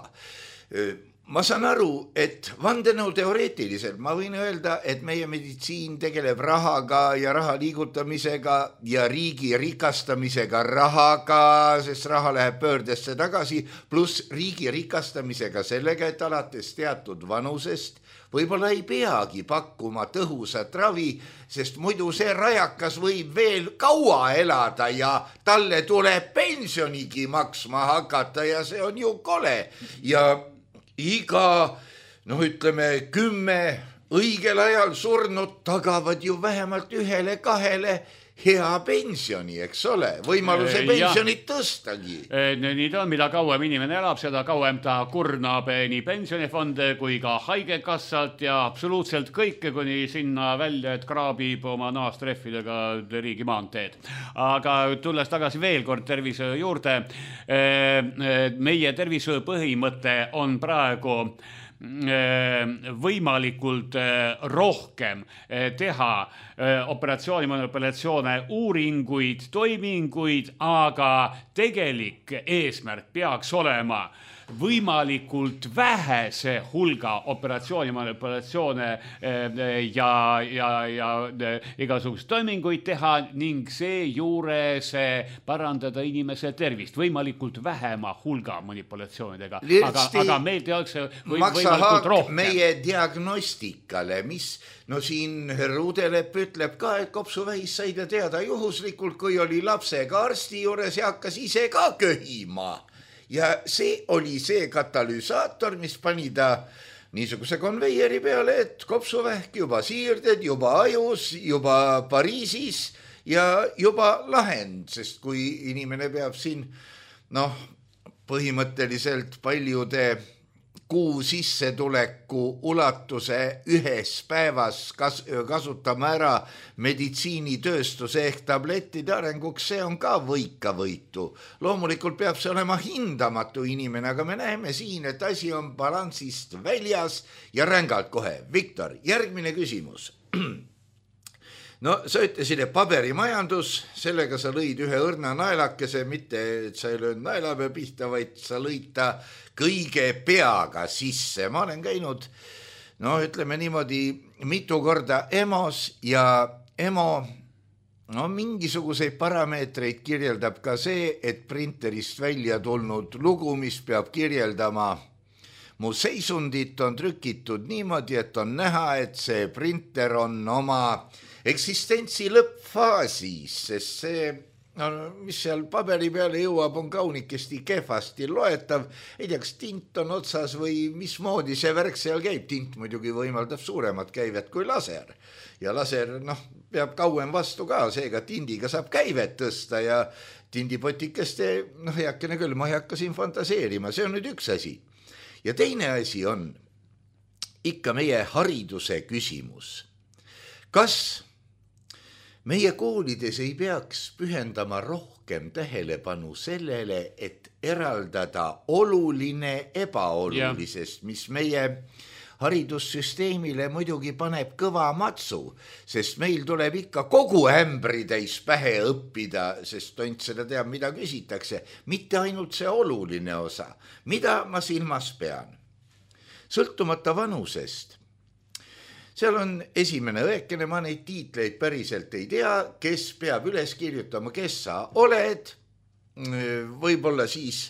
ma saan aru, et vandenõu teoreetiliselt ma võin öelda, et meie meditsiin tegeleb rahaga ja raha liigutamisega ja riigi rikastamisega rahaga, sest raha läheb pöördesse tagasi, pluss riigi rikastamisega sellega, et alates teatud vanusest võib-olla ei peagi pakkuma tõhusat ravi, sest muidu see rajakas võib veel kaua elada ja talle tuleb pensionigi maksma hakata ja see on ju kole. Ja iga, noh ütleme, kümme õigel ajal surnud tagavad ju vähemalt ühele kahele hea pensioni, eks ole, võimaluse pensionit tõstagi. Nii ta on, mida kauem inimene elab, seda kauem ta kurnab nii pensionifonde kui ka haigekassalt ja absoluutselt kõike kuni sinna välja, et kraabib oma naastrehvidega riigi maanteed. Aga tulles tagasi veel kord tervishoiu juurde, meie tervishoiu põhimõte on praegu võimalikult rohkem teha operatsiooni, manipulatsioone, uuringuid, toiminguid, aga tegelik eesmärk peaks olema võimalikult vähese hulga operatsiooni, manipulatsioone ja, ja, ja igasugust toiminguid teha ning seejuures parandada inimese tervist võimalikult vähema hulga manipulatsioonidega. Aga, aga meil tehakse või, võimalikult rohkem. Meie diagnostikale, mis no siin Ruudelep ütleb ka, et kopsuvähis sai ta teada juhuslikult, kui oli lapsega arsti juures ja hakkas ise ka köhima. Ja see oli see katalüsaator, mis pani ta niisuguse konveieri peale, et kopsuvähk juba siirded, juba ajus, juba Pariisis ja juba lahend, sest kui inimene peab siin noh, põhimõtteliselt paljude kuu sissetuleku ulatuse ühes päevas kas, kasutama ära meditsiinitööstuse ehk tablettide arenguks, see on ka võika võitu. Loomulikult peab see olema hindamatu inimene, aga me näeme siin, et asi on balansist väljas ja rängalt kohe. Viktor, järgmine küsimus. No sa ütlesid, et paberimajandus, sellega sa lõid ühe õrna naelakese, mitte et sa ei löönud naelapea pihta, vaid sa lõid ta kõige peaga sisse. Ma olen käinud, no ütleme niimoodi, mitu korda EMO-s ja EMO no, mingisuguseid parameetreid kirjeldab ka see, et printerist välja tulnud lugu, mis peab kirjeldama mu seisundit, on trükitud niimoodi, et on näha, et see printer on oma eksistentsi lõppfaasis, sest see, no, mis seal paberi peale jõuab, on kaunikesti kehvasti loetav. Ei tea, kas tint on otsas või mismoodi see värk seal käib. Tint muidugi võimaldab suuremat käivet kui laser. Ja laser noh, peab kauem vastu ka, seega tindiga saab käivet tõsta ja tindipotikeste, noh, heakene küll, ma ei hakka siin fantaseerima. See on nüüd üks asi. Ja teine asi on ikka meie hariduse küsimus. Kas meie koolides ei peaks pühendama rohkem tähelepanu sellele, et eraldada oluline ebaolulisest, mis meie haridussüsteemile muidugi paneb kõva matsu, sest meil tuleb ikka kogu ämbri täis pähe õppida, sest tont seda teab, mida küsitakse, mitte ainult see oluline osa. Mida ma silmas pean? Sõltumata vanusest. Seal on esimene õekene, ma neid tiitleid päriselt ei tea, kes peab üles kirjutama, kes sa oled, võib-olla siis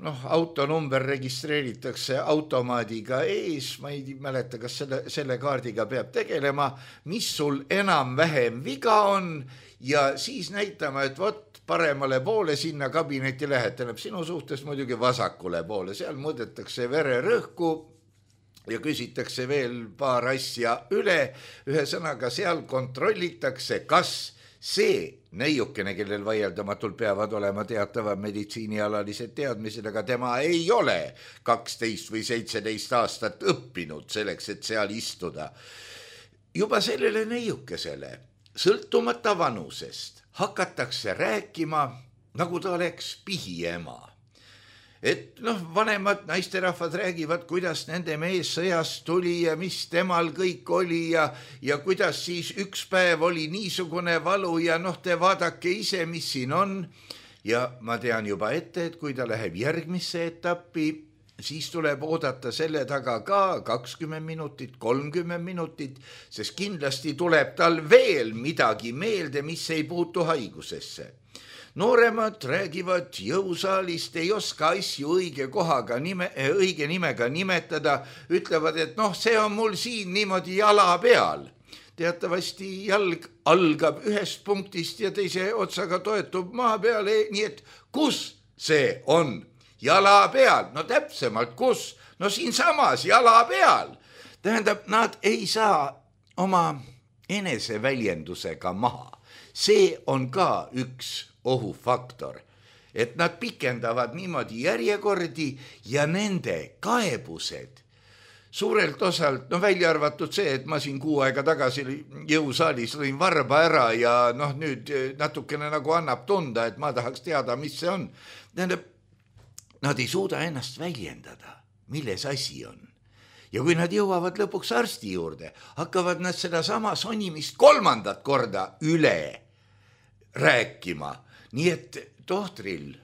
noh, autonumber registreeritakse automaadiga ees, ma ei mäleta, kas selle, selle kaardiga peab tegelema, mis sul enam-vähem viga on ja siis näitama, et vot paremale poole sinna kabineti lähed, tähendab sinu suhtes muidugi vasakule poole, seal mõõdetakse vererõhku ja küsitakse veel paar asja üle, ühe sõnaga seal kontrollitakse, kas see neiukene, kellel vaieldamatult peavad olema teatavad meditsiinialalised teadmised, aga tema ei ole kaksteist või seitseteist aastat õppinud selleks, et seal istuda. Juba sellele neiukesele, sõltumata vanusest, hakatakse rääkima, nagu ta oleks pihiema. Et noh, vanemad naisterahvad räägivad, kuidas nende mees sõjast tuli ja mis temal kõik oli ja, ja kuidas siis üks päev oli niisugune valu ja noh, te vaadake ise, mis siin on. Ja ma tean juba ette, et kui ta läheb järgmisse etappi, siis tuleb oodata selle taga ka kakskümmend minutit, kolmkümmend minutit, sest kindlasti tuleb tal veel midagi meelde, mis ei puutu haigusesse. Nooremad räägivad jõusaalist, ei oska asju õige kohaga, nime, õige nimega nimetada, ütlevad, et noh, see on mul siin niimoodi jala peal. Teatavasti jalg algab ühest punktist ja teise otsaga toetub maa peale, nii et kus see on? Jala peal, no täpsemalt kus? No siinsamas jala peal. Tähendab, nad ei saa oma eneseväljendusega maha. See on ka üks ohufaktor, et nad pikendavad niimoodi järjekordi ja nende kaebused suurelt osalt, no välja arvatud see, et ma siin kuu aega tagasi jõusaalis lõin varba ära ja noh, nüüd natukene nagu annab tunda, et ma tahaks teada, mis see on. Tähendab, nad ei suuda ennast väljendada, milles asi on. Ja kui nad jõuavad lõpuks arsti juurde, hakkavad nad seda sama sonimist kolmandat korda üle rääkima. Nii et tohtril,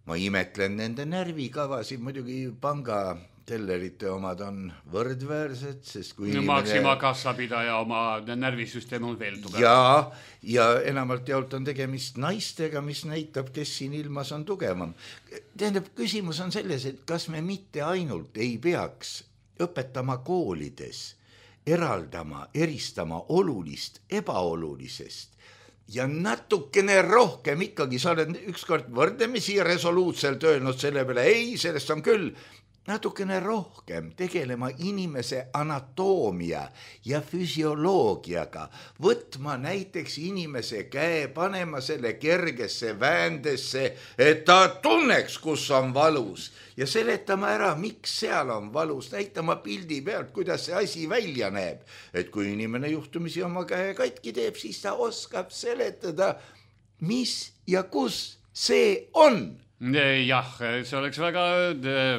ma imetlen nende närvikavasid, muidugi panga tellerite omad on võrdväärsed, sest kui inimene... Maxima kassapidaja oma närvisüsteem on veel tugev. Ja, ja enamalt jaolt on tegemist naistega, mis näitab, kes siin ilmas on tugevam. Tähendab, küsimus on selles, et kas me mitte ainult ei peaks õpetama koolides, eraldama, eristama olulist ebaolulisest ja natukene rohkem ikkagi, sa oled ükskord võrdlemisi resoluutselt öelnud selle peale, ei, sellest on küll, natukene rohkem tegelema inimese anatoomia ja füsioloogiaga, võtma näiteks inimese käe, panema selle kergesse väändesse, et ta tunneks, kus on valus ja seletama ära, miks seal on valus, näitama pildi pealt, kuidas see asi välja näeb. Et kui inimene juhtumisi oma käe katki teeb, siis ta oskab seletada, mis ja kus see on. Jah, see oleks väga,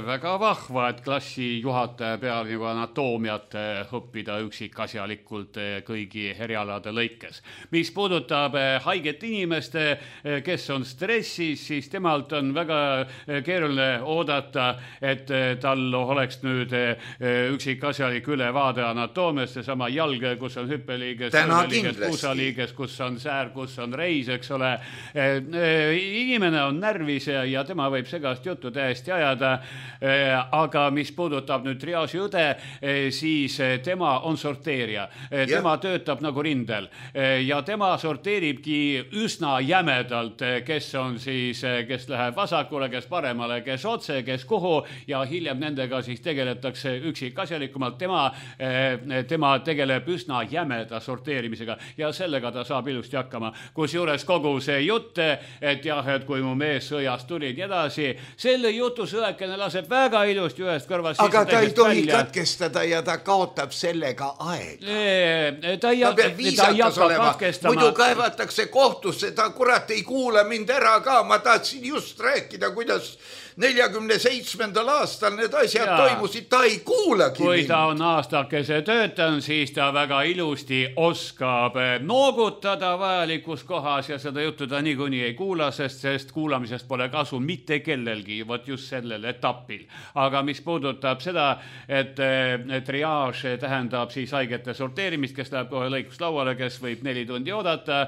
väga vahva, et klassi juhataja peal nagu anatoomiat õppida üksikasjalikult kõigi erialade lõikes. Mis puudutab haiget inimeste, kes on stressis, siis temalt on väga keeruline oodata, et tal oleks nüüd üksikasjalik ülevaade anatoomiast, seesama jalg, kus on hüppeliiges, puusaliiges, kus on säär, kus on reis, eks ole. Inimene on närvis ja ja tema võib segast juttu täiesti ajada, aga mis puudutab nüüd triaaži õde, siis tema on sorteerija. Tema ja. töötab nagu rindel ja tema sorteeribki üsna jämedalt, kes on siis, kes läheb vasakule, kes paremale, kes otse, kes kuhu ja hiljem nendega siis tegeletakse üksikasjalikumalt. Tema, tema tegeleb üsna jämeda sorteerimisega ja sellega ta saab ilusti hakkama. Kus juures kogu see jutt, et jah, et kui mu mees sõjast tuli nii edasi, selle jutu sõekene laseb väga ilusti ühest kõrvast. Aga ta ei tohi välja. Katkestada ja ta kaotab sellega aega. E, ta ei hakka katkestama. Muidu kaevatakse kohtusse, ta kurat ei kuula mind ära ka. Ma tahtsin just rääkida, kuidas neljakümne seitsmendal aastal need asjad ja. toimusid, ta ei kuulagi Kui mind. ta on aastakese töötan, siis ta väga ilusti oskab noogutada vajalikus kohas ja seda juttu ta niikuinii ei kuula, sest, sest kuulamisest pole kasu mitte kellelgi, võt just sellel etapil. Aga mis puudutab seda, et triaaž tähendab siis haigete sorteerimist, kes läheb kohe lõikuslauale, kes võib neli tundi oodata,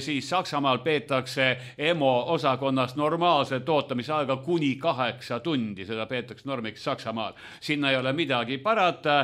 siis Saksamaal peetakse EMO osakonnast normaalse tootamise aega kuni kaheksa tundi, seda peetakse normiks Saksamaal. Sinna ei ole midagi parata,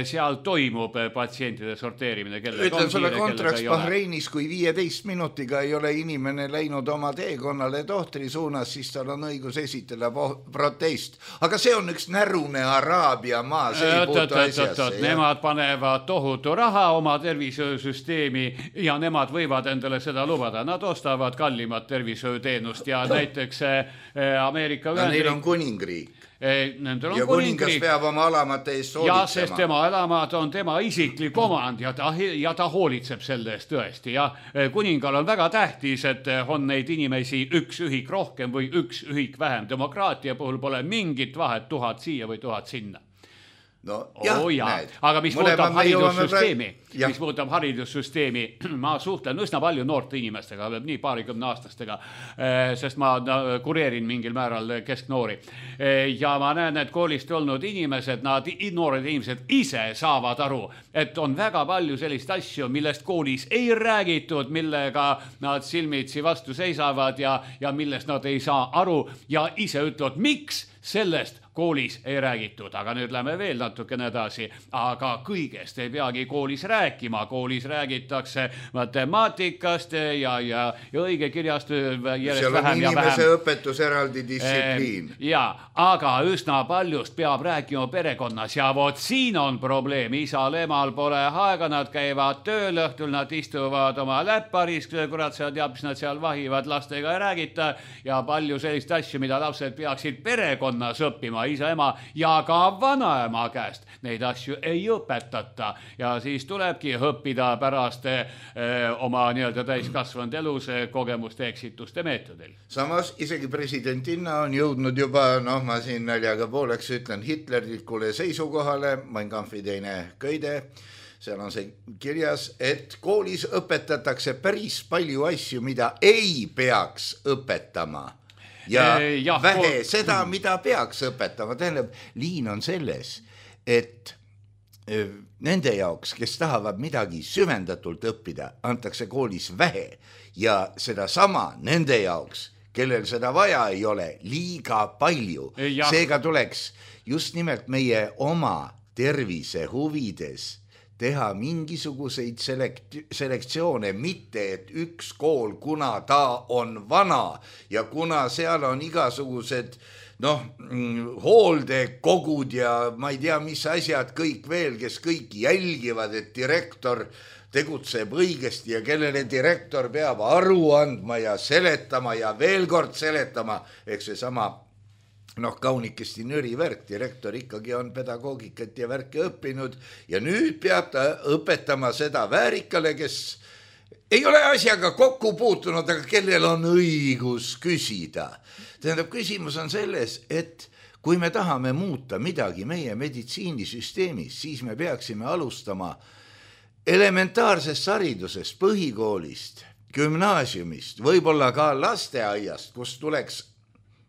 seal toimub patsientide sorteerimine. Ütlen sulle kontraks Bahreinis, kui viieteist minutiga ei ole inimene läinud oma teekonnale tohtri suunas, siis tal on õigus esitada protest. Aga see on üks närune Araabia maa, see ei puutu asjasse. Nemad panevad tohutu raha oma tervishoiusüsteemi ja nemad võivad endale seda lubada. Nad ostavad kallimat tervishoiuteenust ja näiteks Ameerika No, neil on kuningriik. Nendel on ja kuningas peab oma alamate eest hoolitsema. Ja, sest tema alamad on tema isiklik omand ja ta, ja ta hoolitseb selle eest tõesti. Ja kuningal on väga tähtis, et on neid inimesi üks ühik rohkem või üks ühik vähem. Demokraatia puhul pole mingit vahet tuhat siia või tuhat sinna. no jah, oh, jah. näed. Aga mis puudutab haridussüsteemi, mis puudutab haridussüsteemi, ma suhtlen üsna palju noorte inimestega, nii paarikümne aastastega, sest ma kureerin mingil määral kesknoori. Ja ma näen, et koolist olnud inimesed, nad noored inimesed ise saavad aru, et on väga palju sellist asju, millest koolis ei räägitud, millega nad silmitsi vastu seisavad ja, ja millest nad ei saa aru ja ise ütlevad, miks sellest koolis ei räägitud, aga nüüd lähme veel natukene edasi, aga kõigest ei peagi koolis rääkima, koolis räägitakse matemaatikast ja, ja, ja õigekirjast järjest seal vähem ja vähem. Seal on inimese õpetus eraldi distsipliin. E, ja, aga üsna paljust peab rääkima perekonnas ja vot siin on probleem, isal, emal pole aega, nad käivad tööl, õhtul nad istuvad oma läpparis, kurat seal teab, mis nad seal vahivad, lastega ei räägita ja palju sellist asju, mida lapsed peaksid perekonnas õppima, isa, ema ja ka vanaema käest. Neid asju ei õpetata ja siis tulebki õppida pärast eh, oma nii-öelda täiskasvanud elus kogemuste eksituste meetodil. Samas isegi presidentinna on jõudnud juba, noh ma siin naljaga pooleks ütlen, hitlerlikule seisukohale, Mein Kampfi teine köide, seal on see kirjas, et koolis õpetatakse päris palju asju, mida ei peaks õpetama. Ja, ja vähe seda, mida peaks õpetama. Tähendab, liin on selles, et nende jaoks, kes tahavad midagi süvendatult õppida, antakse koolis vähe ja seda sama nende jaoks, kellel seda vaja ei ole, liiga palju. Ja. Seega tuleks just nimelt meie oma tervise huvides teha mingisuguseid selekt- selektsioone, mitte et üks kool, kuna ta on vana ja kuna seal on igasugused noh, hooldekogud ja ma ei tea, mis asjad kõik veel, kes kõik jälgivad, et direktor tegutseb õigesti ja kellele direktor peab aru andma ja seletama ja veel kord seletama, eks see sama noh, kaunikesti nüri värk, direktor ikkagi on pedagoogikat ja värke õppinud ja nüüd peab ta õpetama seda väärikale, kes ei ole asjaga kokku puutunud, aga kellel on õigus küsida. Tähendab, küsimus on selles, et kui me tahame muuta midagi meie meditsiinisüsteemis, siis me peaksime alustama elementaarsest haridusest, põhikoolist, gümnaasiumist, võib-olla ka lasteaiast, kus tuleks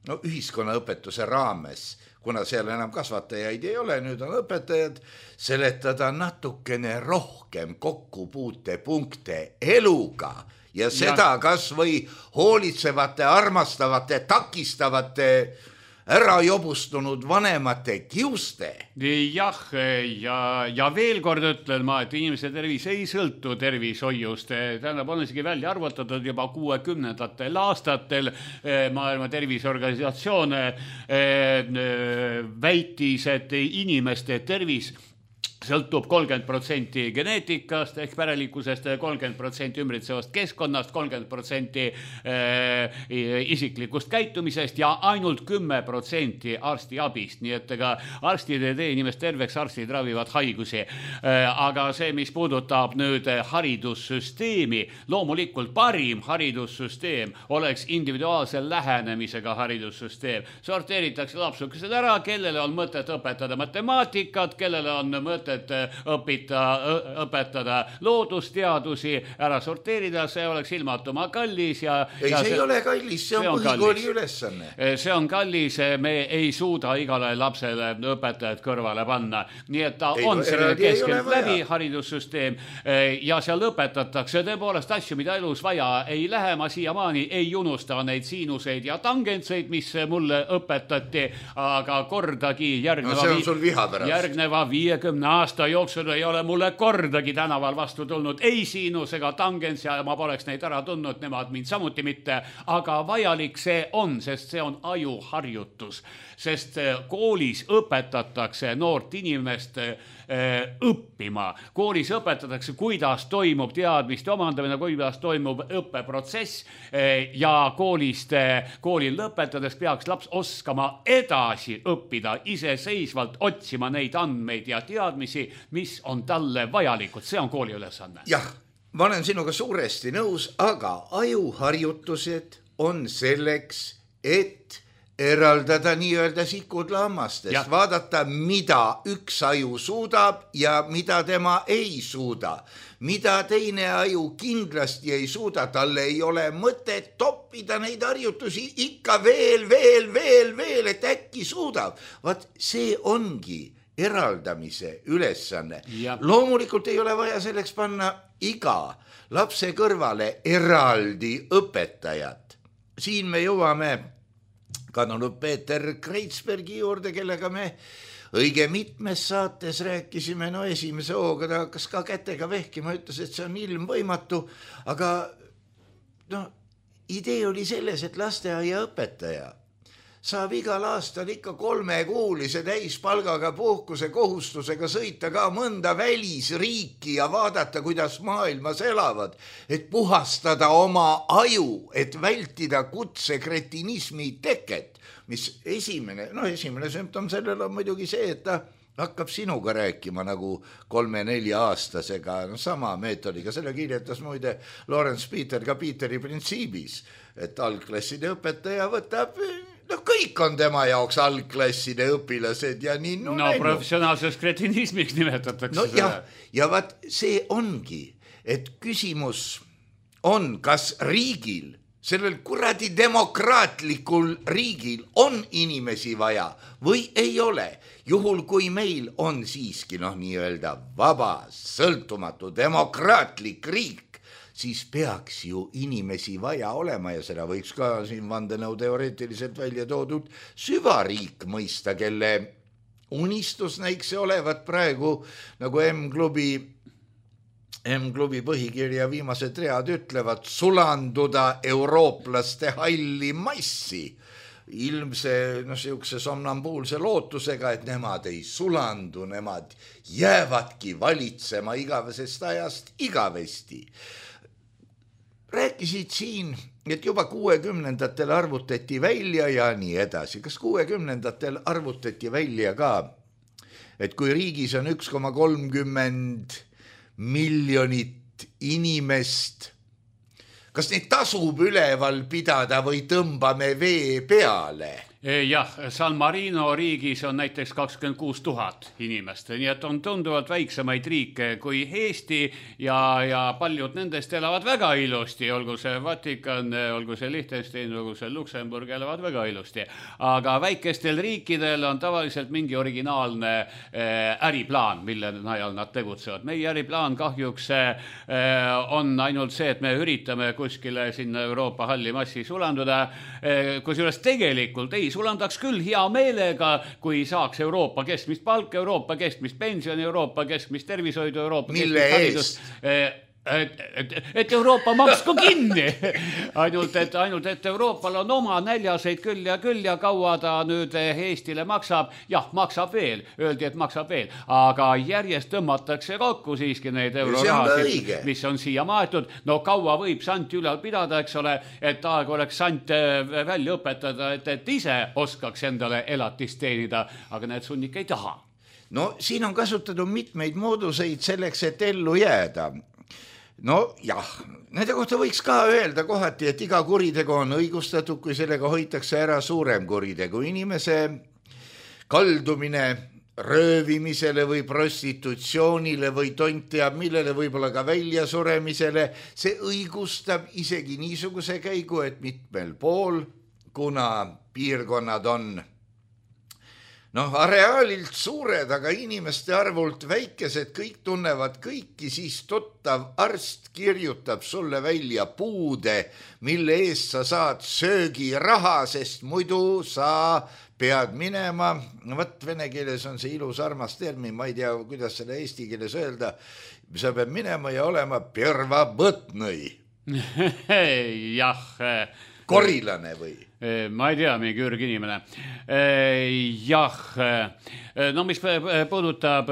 no ühiskonnaõpetuse raames, kuna seal enam kasvatajaid ei ole, nüüd on õpetajad, seletada natukene rohkem kokkupuutepunkte eluga ja seda ja. Kas või hoolitsevate, armastavate, takistavate ära jobustunud vanemate kiuste. Jah, ja, ja veel kord ütlen ma, et inimese tervis ei sõltu tervishoiust. Tähendab, on isegi välja arvutatud juba kuuekümnendatel aastatel Maailma Terviseorganisatsioon väitis, et inimeste tervis sõltub kolmkümmend protsenti geneetikast ehk pärelikkusest, kolmkümmend protsenti ümbritsevast keskkonnast, kolmkümmend protsenti isiklikust käitumisest ja ainult kümme protsenti arsti abist. Nii et ega arstid ei tee inimest terveks, arstid ravivad haigusi. Aga see, mis puudutab nüüd haridussüsteemi, loomulikult parim haridussüsteem oleks individuaalse lähenemisega haridussüsteem. Sorteeritakse lapsukesed ära, kellele on mõtet õpetada matemaatikat, kellele on mõtet et õpita, õpetada loodusteadusi, ära sorteerida, see oleks ilmatuma kallis. Ja, ei, ja see ei ole kallis, see on, see on põhikooli ülesanne. See on kallis, me ei suuda igale lapsele õpetajad kõrvale panna. Nii et ta ei, on selline keskelt läbi haridussüsteem ja seal õpetatakse tõepoolest asju, mida elus vaja ei lähe. Ma siiamaani ei unusta neid siinuseid ja tangentseid, mis mulle õpetati, aga kordagi järgneva, no, see on sul viha pärast. järgneva viiekümne aasta jooksul ei ole mulle kordagi tänaval vastu tulnud ei siinus ega tangens ja ma poleks neid ära tundnud, nemad mind samuti mitte, aga vajalik see on, sest see on ajuharjutus, sest koolis õpetatakse noort inimest õppima. Koolis õpetatakse, kuidas toimub teadmiste omandamine, kuidas toimub õppeprotsess ja koolist, koolil lõpetades peaks laps oskama edasi õppida, iseseisvalt otsima neid andmeid ja teadmisi, mis on talle vajalikud. See on kooli ülesanne. Jah, ma olen sinuga suuresti nõus, aga ajuharjutused on selleks, et eraldada nii-öelda sikud lammastest, vaadata, mida üks aju suudab ja mida tema ei suuda. Mida teine aju kindlasti ei suuda, talle ei ole mõtet toppida neid harjutusi ikka veel, veel, veel, veel, et äkki suudab. Vaat see ongi eraldamise ülesanne. Ja. Loomulikult ei ole vaja selleks panna iga lapse kõrvale eraldi õpetajat. Siin me jõuame kadunud Peeter Kreitsbergi juurde, kellega me õige mitmes saates rääkisime, no esimese hooga ta hakkas ka kätega vehkima, ütles, et see on ilmvõimatu, aga no, idee oli selles, et lasteaia õpetaja saab igal aastal ikka kolmekuulise täispalgaga puhkuse kohustusega sõita ka mõnda välisriiki ja vaadata, kuidas maailmas elavad, et puhastada oma aju, et vältida kutsekretinismi teket, mis esimene, no esimene sümptom sellel on muidugi see, et ta hakkab sinuga rääkima nagu kolme-nelja aastasega, no sama meetodiga, selle kirjetas muide Lawrence Peter ka Peteri printsiibis, et algklasside õpetaja võtab... No kõik on tema jaoks algklasside õpilased ja nii no, no professionaalses kretinismiks nimetatakse no, ja, ja vaat see ongi, et küsimus on, kas riigil, sellel kuradi demokraatlikul riigil on inimesi vaja või ei ole. Juhul kui meil on siiski noh nii-öelda vaba, sõltumatu, demokraatlik riik, siis peaks ju inimesi vaja olema ja seda võiks ka siin vandenõu teoreetiliselt välja toodud süvariik mõista, kelle unistus näiks olevat praegu nagu M-klubi, M-klubi põhikirja viimased read ütlevad, sulanduda eurooplaste halli massi. Ilmse no, siukse somnambuulse lootusega, et nemad ei sulandu, nemad jäävadki valitsema igavesest ajast igavesti. Rääkisid siin, et juba kuuekümnendatel arvutati välja ja nii edasi. Kas kuuekümnendatel arvutati välja ka, et kui riigis on üks koma kolmkümmend miljonit inimest, kas neid tasub üleval pidada või tõmbame vee peale? Jah, San Marino riigis on näiteks kakskümmend kuus tuhat inimest, nii et on tunduvalt väiksemaid riike kui Eesti ja, ja paljud nendest elavad väga ilusti, olgu see Vatikan, olgu see Liechtenstein, olgu see Luksemburg, elavad väga ilusti. Aga väikestel riikidel on tavaliselt mingi originaalne äh, äriplaan, mille najal nad tegutsevad. Meie äriplaan kahjuks äh, on ainult see, et me üritame kuskile sinna Euroopa halli massi sulanduda, äh, kusjuures tegelikult ei sulandaks küll hea meelega, kui saaks Euroopa keskmist palk, Euroopa keskmist pension, Euroopa keskmist tervishoidu, Euroopa Mille keskmist haridust. Et, et, et Euroopa maksku kinni. Ainult et, ainult, et Euroopal on oma näljaseid küll ja küll ja kaua ta nüüd Eestile maksab. Jah, maksab veel. Öeldi, et maksab veel. Aga järjest tõmmatakse kokku siiski neid eurorahasid, mis on siia maetud. No kaua võib sant ülal pidada, eks ole, et aeg oleks sant välja õpetada, et, et ise oskaks endale elatist teenida, aga need sunnik ei taha. No siin on kasutatud mitmeid mooduseid selleks, et ellu jääda. No jah, nende kohta võiks ka öelda kohati, et iga kuritegu on õigustatud, kui sellega hoitakse ära suurem kuritegu. Inimese kaldumine röövimisele või prostitutsioonile või tont teab millele, võib-olla ka väljasuremisele, see õigustab isegi niisuguse käigu, et mitmel pool, kuna piirkonnad on noh, areaalilt suured, aga inimeste arvult väikesed, kõik tunnevad kõiki, siis tuttav arst kirjutab sulle välja puude, mille eest sa saad söögiraha, sest muidu sa pead minema. Võt vene keeles on see ilus armas termin, ma ei tea, kuidas seda eesti keeles öelda. Sa pead minema ja olema pervabõtnõi. Jah. Korilane või? Ma ei tea, mingi ürg inimene. Jah, no mis puudutab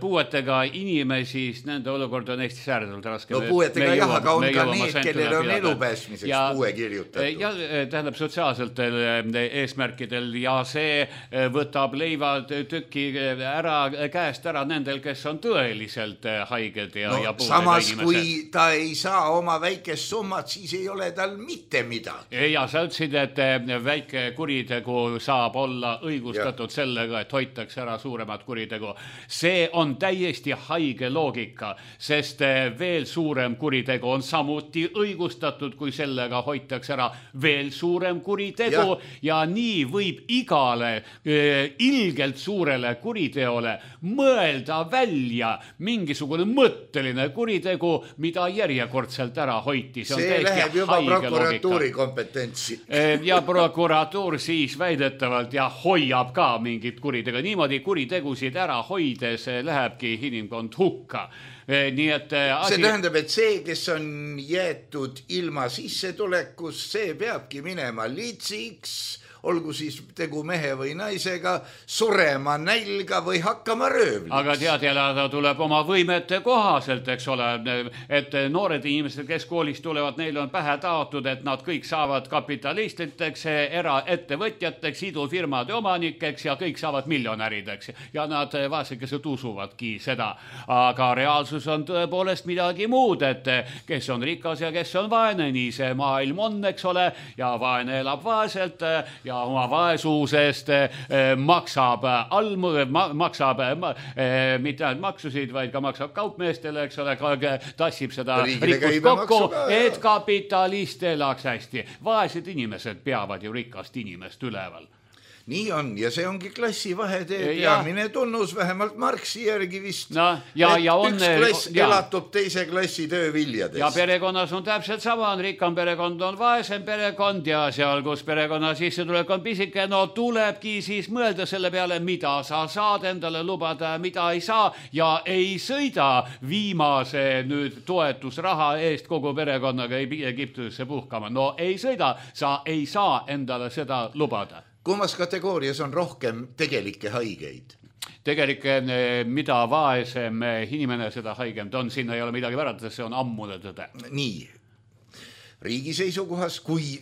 puuetega inimesi, siis nende olukord on Eestis ääretult raske. No puuetega jah, aga on ka need, kellel on elu pääsmiseks puue kirjutatud. Ja tähendab sotsiaalsetel eesmärkidel ja see võtab leivad tüki ära, käest ära nendel, kes on tõeliselt haiged ja, no, ja puudega samas, inimesed. Kui ta ei saa oma väikest summat, siis ei ole tal mitte midagi. Ja sa ütlesid väitsid, et väike kuritegu saab olla õigustatud ja. sellega, et hoitakse ära suuremat kuritegu. See on täiesti haige loogika, sest veel suurem kuritegu on samuti õigustatud, kui sellega hoitakse ära veel suurem kuritegu ja, ja nii võib igale eh, ilgelt suurele kuriteole mõelda välja mingisugune mõtteline kuritegu, mida järjekordselt ära hoiti. See, see läheb juba prokuratuuri kompetentsi. Ja prokuratuur siis väidetavalt ja hoiab ka mingit kuritegu. Niimoodi kuritegusid ära hoides lähebki inimkond hukka. Nii et asi... See tähendab, et see, kes on jäetud ilma sissetulekus, see peabki minema litsiks, olgu siis tegu mehe või naisega, surema nälga või hakkama röövliks. Aga tead, elada tuleb oma võimete kohaselt, eks ole, et noored inimesed, kes koolist tulevad, neil on pähe taotud, et nad kõik saavad kapitalistiteks, eraettevõtjateks, idufirmade omanikeks ja kõik saavad miljonärideks. Ja nad vaesekesed usuvadki seda. Aga reaalsus on tõepoolest midagi muud, et kes on rikas ja kes on vaene, nii see maailm on, eks ole, ja vaene elab vaeselt ja ja oma vaesusest maksab almu, maksab mitte ainult maksusid, vaid ka maksab kaupmeestele, eks ole, tassib seda rikkust kokku, et kapitalist elaks hästi. Vaesed inimesed peavad ju rikast inimest üleval. Nii on, ja see ongi klassivahetee peamine tunnus, vähemalt Marxi järgi vist, no, ja, ja on, üks klass ja. elatub teise klassi tööviljadest. Ja perekonnas on täpselt sama, on rikkam perekond, on vaesem perekond ja seal, kus perekonna sissetulek on pisike, no tulebki siis mõelda selle peale, mida sa saad endale lubada, mida ei saa ja ei sõida viimase nüüd toetusraha eest kogu perekonnaga Egiptusesse puhkama. No ei sõida, sa ei saa endale seda lubada. Kummas kategoorias on rohkem tegelikke haigeid? Tegelikke, mida vaesem inimene, seda haigem ta on, sinna ei ole midagi värata, see on ammune tõde. Nii, riigi seisukohas, kui,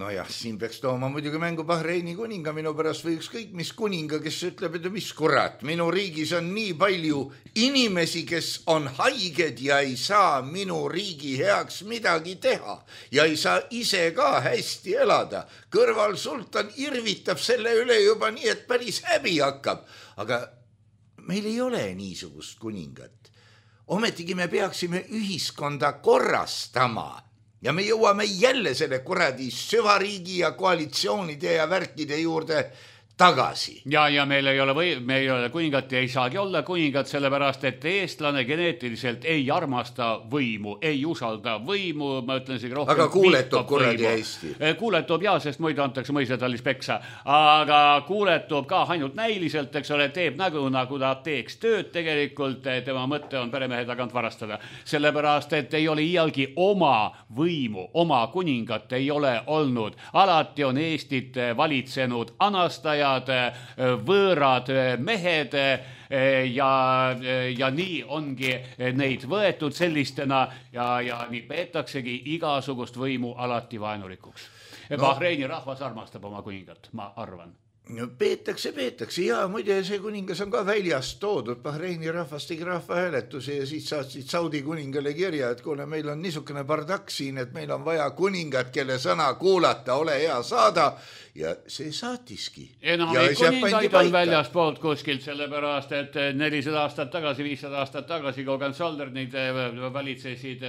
no jah, siin peaks tooma muidugi mängu Bahreini kuninga minu pärast või ükskõik mis kuninga, kes ütleb, et mis kurat, minu riigis on nii palju inimesi, kes on haiged ja ei saa minu riigi heaks midagi teha ja ei saa ise ka hästi elada. Kõrval sultan irvitab selle üle juba nii, et päris häbi hakkab, aga meil ei ole niisugust kuningat. Ometigi me peaksime ühiskonda korrastama. Ja me jõuame jälle selle kuradi süvariigi ja koalitsioonide ja värkide juurde tagasi. Ja, ja meil ei ole, või, meil ei ole kuningat ja ei saagi olla kuningat, sellepärast, et eestlane geneetiliselt ei armasta võimu, ei usalda võimu, ma ütlen isegi rohkem. Aga kuuletub kuradi hästi. Kuuletub ja, sest muidu antakse mõisetallis peksa. Aga kuuletub ka ainult näiliselt, eks ole, teeb nägu, nagu ta teeks tööd tegelikult, tema mõtte on peremehe tagant varastada. Sellepärast, et ei ole iialgi oma võimu, oma kuningat ei ole olnud. Alati on Eestit valitsenud anastaja võõrad mehed ja, ja nii ongi neid võetud sellistena ja, ja nii peetaksegi igasugust võimu alati vaenulikuks. No. Bahreini rahvas armastab oma kuningat, ma arvan. No, peetakse, peetakse. Ja muide, see kuningas on ka väljast toodud. Bahreini rahvas tegi rahvahääletuse ja siis saatsid Saudi kuningale kirja, et kuule, meil on niisugune bardak siin, et meil on vaja kuningat, kelle sõna kuulata, ole hea saada. Ja see saatiski. Enamik kuningaid on väljast poolt kuskilt, sellepärast, et nelisada aastat tagasi, viissada aastat tagasi, kui Hohenzollernid valitsesid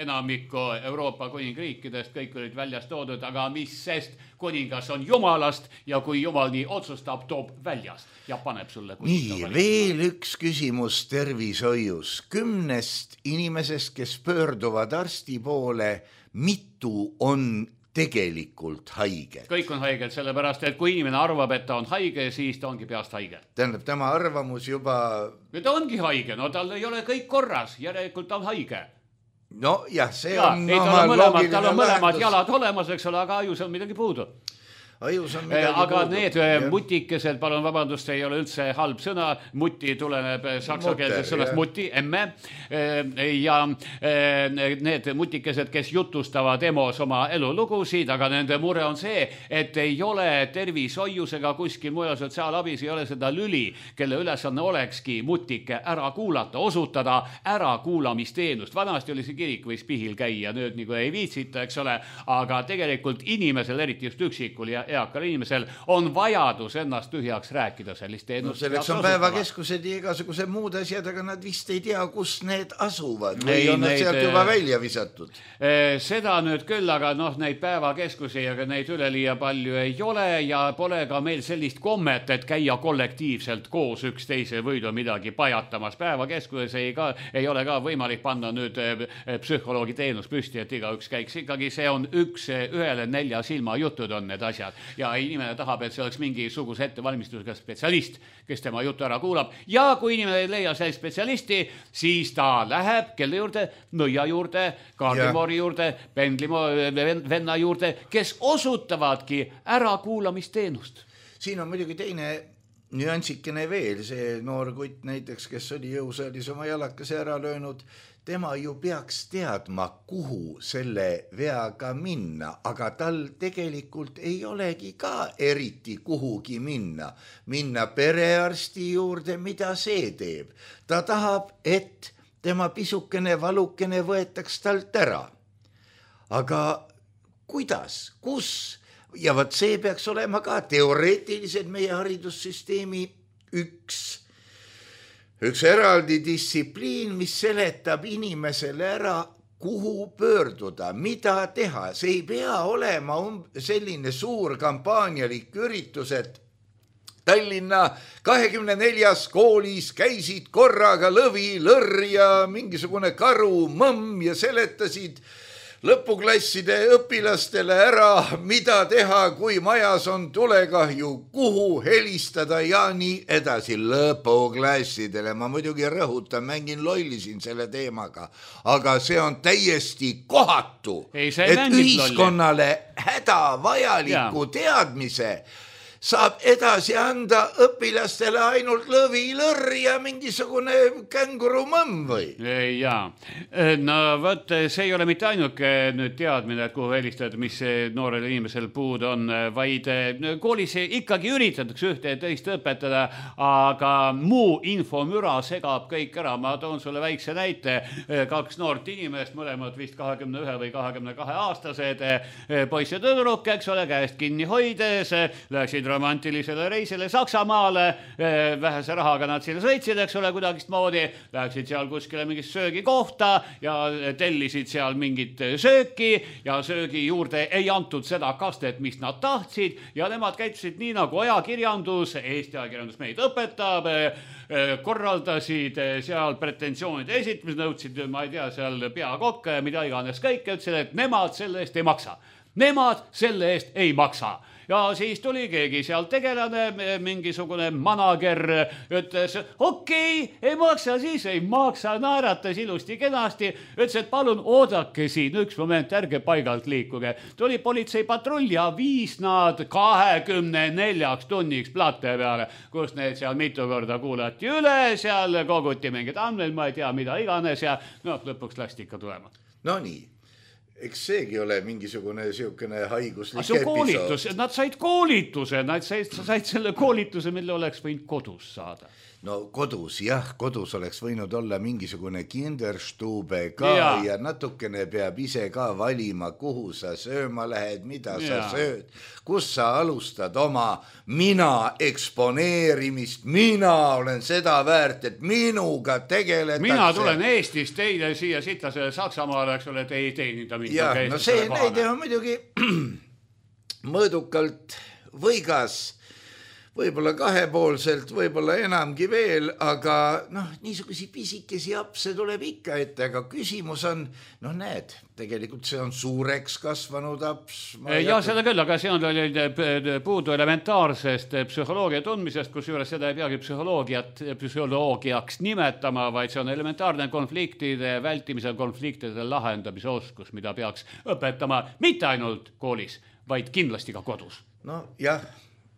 enamikku Euroopa kuningriikidest, kõik olid väljast toodud, aga mis sest kuningas on jumalast ja kui jumal nii otsustab, toob väljast ja paneb sulle nii, veel üks küsimus tervishoius. Kümnest inimesest, kes pöörduvad arsti poole, mitu on tegelikult haige. Kõik on haiged, sellepärast, et kui inimene arvab, et ta on haige, siis ta ongi peast haige. Tähendab, tema arvamus juba... Ja ta ongi haige, no tal ei ole kõik korras, järelikult ta on haige. No jah, see ja, on... Ei, tal, on mõlemad, tal on mõlemad jalad olemas, eks ole, aga ajus on midagi puudu. ajus on midagi aga puudu. need mutikesed, palun vabandust, ei ole üldse halb sõna, muti tuleneb saksakeelsest sõnast muti, emme, ja need mutikesed, kes jutustavad EMO-s oma elulugusid, aga nende mure on see, et ei ole tervishoiusega kuskil mujal sotsiaalabis, ei ole seda lüli, kelle ülesanne olekski mutike ära kuulata, osutada ärakuulamisteenust. Vanasti oli see kirik, võis pihil käia, nüüd nagu ei viitsita, eks ole, aga tegelikult inimesel, eriti just üksikul ja eakal inimesel, on vajadus ennast tühjaks rääkida sellist teenust. No selleks on päevakeskused ja igasugused muud asjad, aga nad vist ei tea, kus need asuvad või ei, on nad sealt juba välja visatud. Seda nüüd küll, aga noh, neid päevakeskusi, aga neid üleliia palju ei ole ja pole ka meil sellist kommet, et käia kollektiivselt koos üksteise võidu midagi pajatamas. Päevakeskuses ei, ka, ei ole ka võimalik panna nüüd psühholoogi teenus püsti, et igaüks käiks. Ikkagi see on üks ühele nelja silma jutud on need asjad ja inimene tahab, et see oleks mingisuguse ettevalmistusega spetsialist, kes tema jutu ära kuulab ja kui inimene ei leia sellist spetsialisti, siis ta läheb kelle juurde, nõia juurde, kaardimoori juurde, pendlimo venna juurde, kes osutavadki ärakuulamisteenust. Siin on muidugi teine nüansikene veel, see noor kutt näiteks, kes oli jõusaalis oma jalakase ära löönud, tema ju peaks teadma, kuhu selle veaga minna, aga tal tegelikult ei olegi ka eriti kuhugi minna. Minna perearsti juurde, mida see teeb? Ta tahab, et tema pisukene valukene võetaks talt ära. Aga kuidas? Kus? Ja võt see peaks olema ka teoreetiliselt meie haridussüsteemi üks Üks eraldi distsipliin, mis seletab inimesele ära, kuhu pöörduda, mida teha. See ei pea olema selline suur kampaanialik üritus, et Tallinna kahekümne neljas koolis käisid korraga lõvi, lõrr ja mingisugune karu, mõmm ja seletasid lõpuklasside õpilastele ära, mida teha, kui majas on tulekahju, kuhu helistada ja nii edasi lõpuklassidele. Ma muidugi rõhutan, mängin lolli siin selle teemaga, aga see on täiesti kohatu, ei, et ühiskonnale hädavajaliku teadmise saab edasi anda õpilastele ainult lõvi, lõrr ja mingisugune känguru mõmm või? Jaa, no võt, see ei ole mitte ainuke nüüd teadmine, et kuhu helistada, mis noorel inimesel puud on, vaid koolis ikkagi üritatakse ühte ja teist õpetada, aga muu infomüra segab kõik ära. Ma toon sulle väikse näite, kaks noort inimest, mõlemad vist kahekümne ühe või kahekümne kahe aastased, poiss ja tüdruk, eks ole, käest kinni hoides, läksid romantilisele reisile Saksamaale, vähese rahaga nad siin sõitsid, eks ole, kuidagist moodi, läksid seal kuskile mingist söögikohta ja tellisid seal mingit sööki ja söögi juurde ei antud seda kastet, mis nad tahtsid ja nemad käitusid nii, nagu ajakirjandus, Eesti ajakirjandus meid õpetab, korraldasid seal pretensioonide esitamised, nõudsid, ma ei tea, seal peakokk, mida iganes kõik, ütlesid, et nemad selle eest ei maksa. Nemad selle eest ei maksa. Ja siis tuli keegi seal tegelane, mingisugune manager, ütles, okei, okay, ei maksa, siis ei maksa, naeratas ilusti kenasti, ütles, et palun oodake siin üks moment, ärge paigalt liikuge. Tuli politseipatrull ja viis nad kahekümne neljaks tunniks plate peale, kus need seal mitu korda kuulati üle, seal koguti mingid andmed, ma ei tea, mida iganes ja no, lõpuks lasti ikka tulema. No nii. Eks seegi ole mingisugune siukene haiguslik see koolitus, nad said koolituse, nad said, said selle koolituse, mille oleks võinud kodus saada. No kodus, jah, kodus oleks võinud olla mingisugune kinderstube ka ja, ja natukene peab ise ka valima, kuhu sa sööma lähed, mida ja. Sa sööd, kus sa alustad oma mina eksponeerimist, mina olen seda väärt, et minuga tegeletakse. Mina tulen Eestist teile siia sitlasele Saksamaale, eks ole, et ei teenida mind. Ja, no see näide on muidugi mõõdukalt võigas, võib-olla kahepoolselt, võib-olla enamgi veel, aga noh, niisugusi pisikesi apse tuleb ikka ette, aga küsimus on, noh näed, tegelikult see on suureks kasvanud aps. Ja seda küll, aga see on puudu elementaarsest psühholoogia tundmisest, kus juures seda ei peagi psühholoogiat, psühholoogiaks nimetama, vaid see on elementaarne konfliktide vältimise, konfliktide lahendamise oskus, mida peaks õpetama mitte ainult koolis, vaid kindlasti ka kodus. No jah,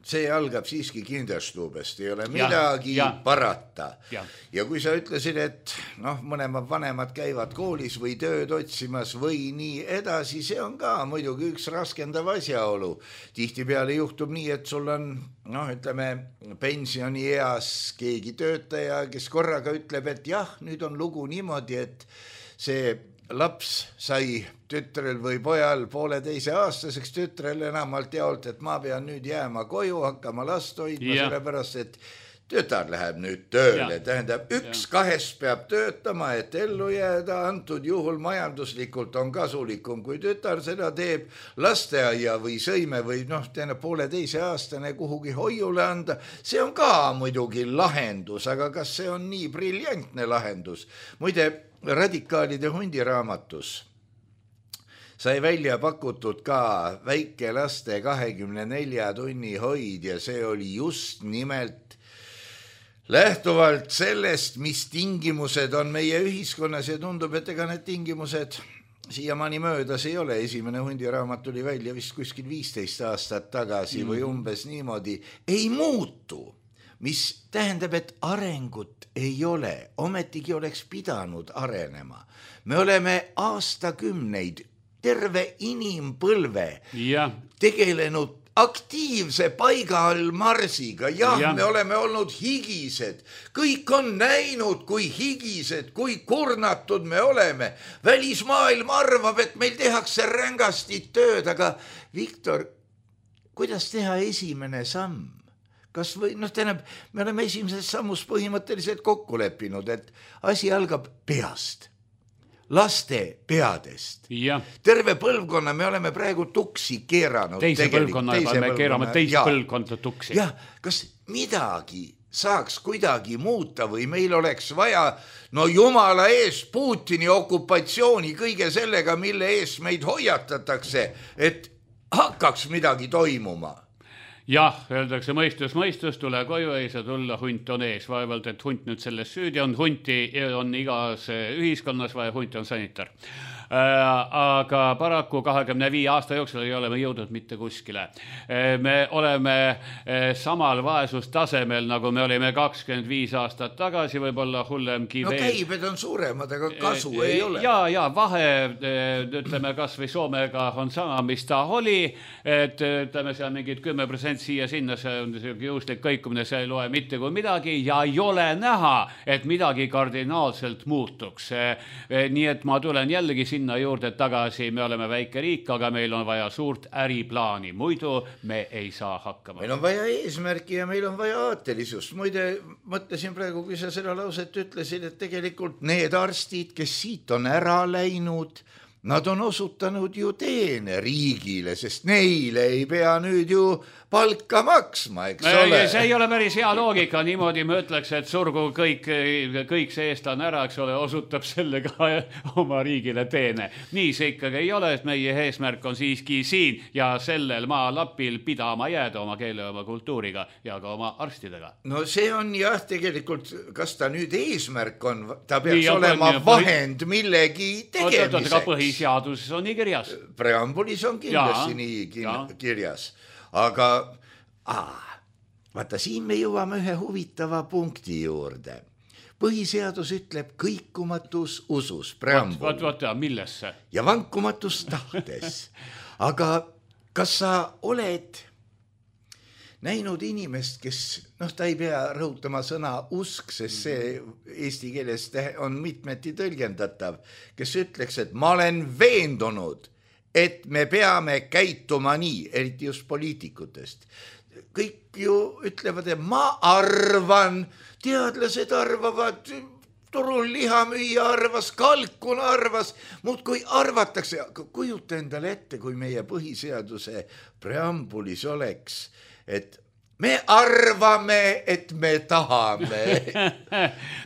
see algab siiski kinderstuubest, ei ole midagi ja, ja. parata. Ja. ja kui sa ütlesid, et noh, mõlemad vanemad käivad koolis või tööd otsimas või nii edasi, see on ka muidugi üks raskendav asjaolu. Tihtipeale juhtub nii, et sul on, noh, ütleme, pensionieas keegi töötaja, kes korraga ütleb, et jah, nüüd on lugu niimoodi, et see laps sai tütrel või pojal pooleteise aastaseks, tütrel enamalt jaolt, et ma pean nüüd jääma koju, hakkama last hoidma, sellepärast, et tütar läheb nüüd tööle. Tähendab, üks ja. kahest peab töötama, et ellu jääda, antud juhul majanduslikult on kasulikum, kui tütar seda teeb lasteaia või sõime või noh, tähendab pooleteise aastane kuhugi hoiule anda. See on ka muidugi lahendus, aga kas see on nii briljantne lahendus? Muide, radikaalide hundiraamatus sai välja pakutud ka väikelaste kahekümne nelja tunni hoid ja see oli just nimelt lähtuvalt sellest, mis tingimused on meie ühiskonnas ja tundub, et ega need tingimused siiamaani möödas ei ole. Esimene hundiraamat tuli välja vist kuskil viisteist aastat tagasi mm. või umbes niimoodi. Ei muutu, mis tähendab, et arengut ei ole, ometigi oleks pidanud arenema. Me oleme aastakümneid, terve inimpõlve ja. tegelenud aktiivse paiga all marsiga. Jah, ja. me oleme olnud higised. Kõik on näinud, kui higised, kui kurnatud me oleme. Välismaailm arvab, et meil tehakse rängasti tööd, aga Viktor, kuidas teha esimene samm? Kas või, noh, tähendab, me oleme esimeses sammus põhimõtteliselt kokku leppinud, et asi algab peast, laste peadest. Ja. Terve põlvkonna me oleme praegu tuksi keeranud. Teise põlvkonna, teise me keerame teist ja. põlvkonda tuksi. Jah, kas midagi saaks kuidagi muuta või meil oleks vaja, no jumala eest Putini okupatsiooni kõige sellega, mille eest meid hoiatatakse, et hakkaks midagi toimuma. Jah, öeldakse mõistus, mõistus, tule koju, ei saa tulla, hunt on ees. Vaevalt, et hunt nüüd selles süüdi on, hunti on igas ühiskonnas vaja, hunt on sanitar. Aga paraku kahekümne viie aasta jooksul ei ole me jõudnud mitte kuskile. Me oleme samal vaesustasemel, nagu me olime kakskümmend viis aastat tagasi, võib-olla hullemgi veel. No käibed on suuremad, aga kasu ei ole. Ja, ja vahe, ütleme, kas või Soomega on sama, mis ta oli, et ütleme, seal mingid kümme protsenti siia sinna, see on juhuslik kõikumine, see ei loe mitte kui midagi ja ei ole näha, et midagi kardinaalselt muutuks. Nii et ma tulen jällegi sinna juurde tagasi, me oleme väike riik, aga meil on vaja suurt äriplaani, muidu me ei saa hakkama. Meil on vaja eesmärki ja meil on vaja aatelisust. Muide, mõtlesin praegu, kui sa seda lauset ütlesid, et tegelikult need arstid, kes siit on ära läinud, nad on osutanud ju teene riigile, sest neile ei pea nüüd ju palka maksma, eks ole. See ei ole päris hea loogika, niimoodi ma ütleks, et surgu kõik, kõik see eestlane ära, eks ole, osutab sellega oma riigile teene. Nii see ikkagi ei ole, et meie eesmärk on siiski siin ja sellel maalapil pidama jääda oma keele, oma kultuuriga ja ka oma arstidega. No see on jah, tegelikult, kas ta nüüd eesmärk on, ta peaks nii, olema on, vahend põhi... millegi tegemiseks. Ka põhiseaduses on nii kirjas. Preambulis on kindlasti ja, nii kin- kirjas. Aga aa, vaata, siin me jõuame ühe huvitava punkti juurde. Põhiseadus ütleb kõikumatus usus, preambul. Vaat, vaat, millesse? Ja vankumatus tahtes. Aga kas sa oled näinud inimest, kes, noh, ta ei pea rõhutama sõna usk, sest see eesti keeles on mitmeti tõlgendatav, kes ütleks, et ma olen veendunud, et me peame käituma nii, eriti just poliitikutest. Kõik ju ütlevad, et ma arvan, teadlased arvavad, turul lihamüüja arvas, kalkun arvas, muud kui arvatakse. Kujuta endale ette, kui meie põhiseaduse preambulis oleks, et me arvame, et me tahame.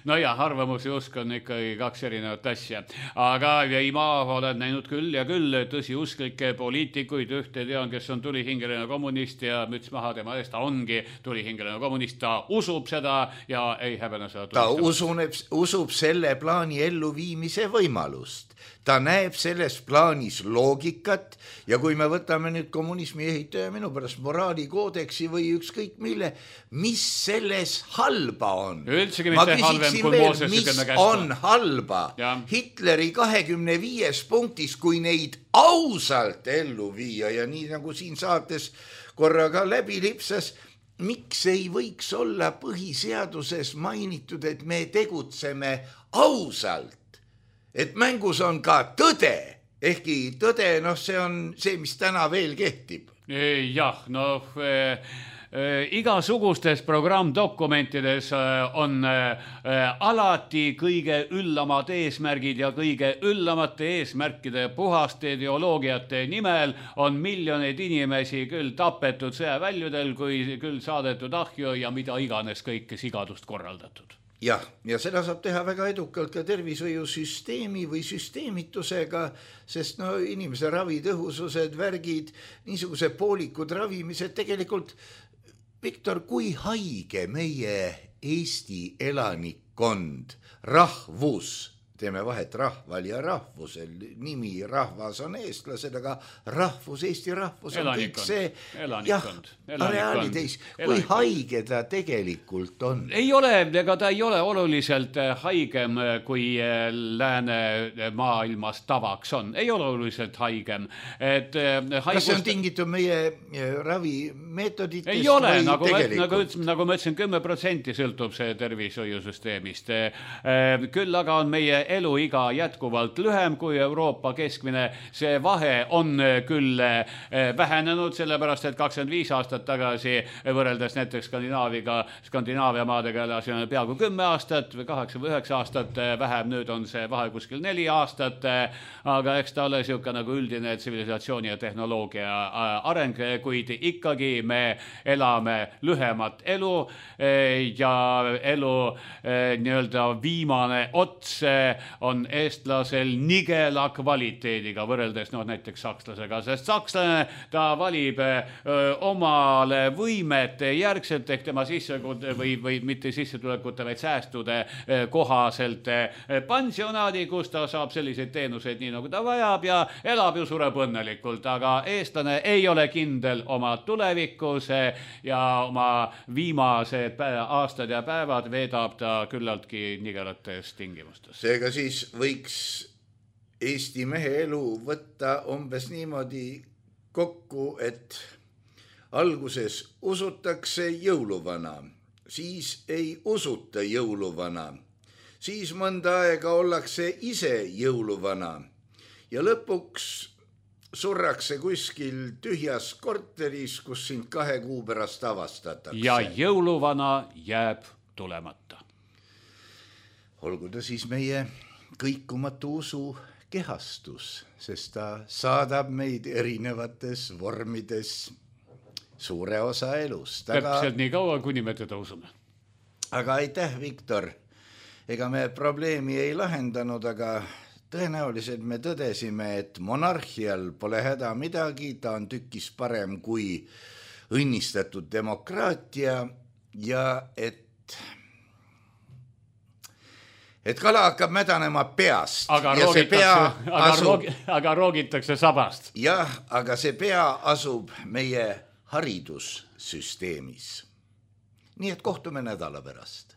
No ja arvamus ja usk on ikkagi kaks erinevat asja. Aga ei, ma olen näinud küll ja küll tõsiusklikke poliitikuid, ühte tean, kes on tulihingeline kommunist ja müts maha tema eest, ta ongi tulihingeline kommunist, ta usub seda ja ei häbene seda ta usuneb, usub selle plaani elluviimise võimalust. Ta näeb selles plaanis loogikat ja kui me võtame nüüd kommunismi ehitaja minu pärast moraalikoodeksi või ükskõik mille, mis selles halba on? Üldsegi mitte halvem kui Mooses mis on halba ja. Hitleri kahekümne viies punktis, kui neid ausalt ellu viia ja nii nagu siin saates korraga läbi lipsas, miks ei võiks olla põhiseaduses mainitud, et me tegutseme ausalt? Et mängus on ka tõde, ehkki tõde, noh, see on see, mis täna veel kehtib. Jah, noh, äh, äh, igasugustes programmdokumentides äh, on äh, alati kõige üllamad eesmärgid ja kõige üllamate eesmärkide puhaste ideoloogiate nimel on miljoneid inimesi küll tapetud sõjaväljudel, kui küll saadetud ahju ja mida iganes kõike sigadust korraldatud. Jah, ja seda saab teha väga edukalt ka tervishoiusüsteemi või süsteemitusega, sest no inimese ravitõhusused, värgid, niisuguse poolikud ravimised tegelikult, Viktor, kui haige meie Eesti elanikkond, rahvus, teeme vahet rahval ja rahvusel, nimi rahvas on eestlased, aga rahvus, Eesti rahvus on kõik see, jah, reaalides, kui haige ta tegelikult on. Ei ole, ega ta ei ole oluliselt haigem, kui lääne maailmas tavaks on. Ei ole oluliselt haigem. Et haigust... Kas see on tingitud meie ravimeetoditest? Ei ole, nagu, nagu, nagu ma ütlesin, kümme protsenti sõltub see tervishoiusüsteemist. Küll aga on meie eluiga jätkuvalt lühem kui Euroopa keskmine. See vahe on küll vähenenud, sellepärast et kakskümmend viis aastat tagasi võrreldes näiteks Skandinaaviga, Skandinaavia maadega elasime peaaegu kümme aastat või kaheksa või üheksa aastat vähem, nüüd on see vahe kuskil neli aastat, aga eks ta ole siuke nagu üldine tsivilisatsiooni ja tehnoloogia areng, kuid ikkagi me elame lühemat elu ja elu nii-öelda viimane ots on eestlasel nigela kvaliteediga võrreldes no, näiteks sakslasega, sest sakslane ta valib öö, omale võimete järgselt ehk tema sissetulekute või, või mitte sissetulekute, vaid säästude öö, kohaselt öö, pensionaadi, kus ta saab selliseid teenuseid nii nagu ta vajab ja elab ju sureb õnnelikult, aga eestlane ei ole kindel oma tulevikus ja oma viimased aastad ja päevad veedab ta küllaltki nigelates tingimustes. Seega siis võiks Eesti mehe elu võtta umbes niimoodi kokku, et alguses usutakse jõuluvana, siis ei usuta jõuluvana, siis mõnda aega ollakse ise jõuluvana ja lõpuks surrakse kuskil tühjas korteris, kus sind kahe kuu pärast avastatakse. Ja jõuluvana jääb tulemata. Olgu ta siis meie kõikumatu usu kehastus, sest ta saadab meid erinevates vormides suure osa elust. Täpselt nii kaua, kuni me teda usume. Aga aitäh, Viktor. Ega me probleemi ei lahendanud, aga tõenäoliselt me tõdesime, et monarhial pole häda midagi, ta on tükis parem kui õnnistatud demokraatia ja et et kala hakkab mädanema peast. Aga, ja see pea aga, asub, roogi, aga roogitakse sabast. Jah, aga see pea asub meie haridussüsteemis. Nii et kohtume nädala pärast.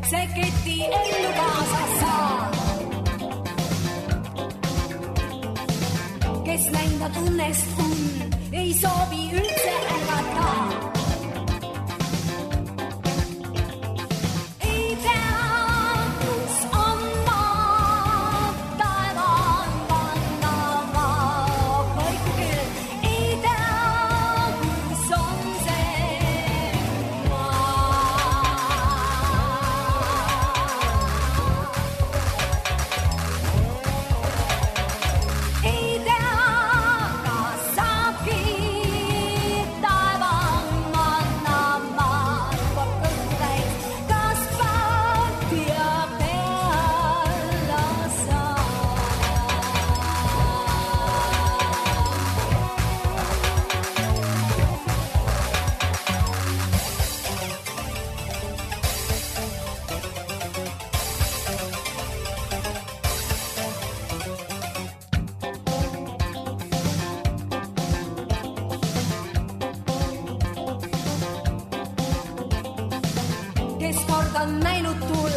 See keti ellu kaasa saa. Kes näinud õnnest un, ei soovi üldse ärgata. Ei teadus on maa, taevaan vanna maa aastan näinud tull,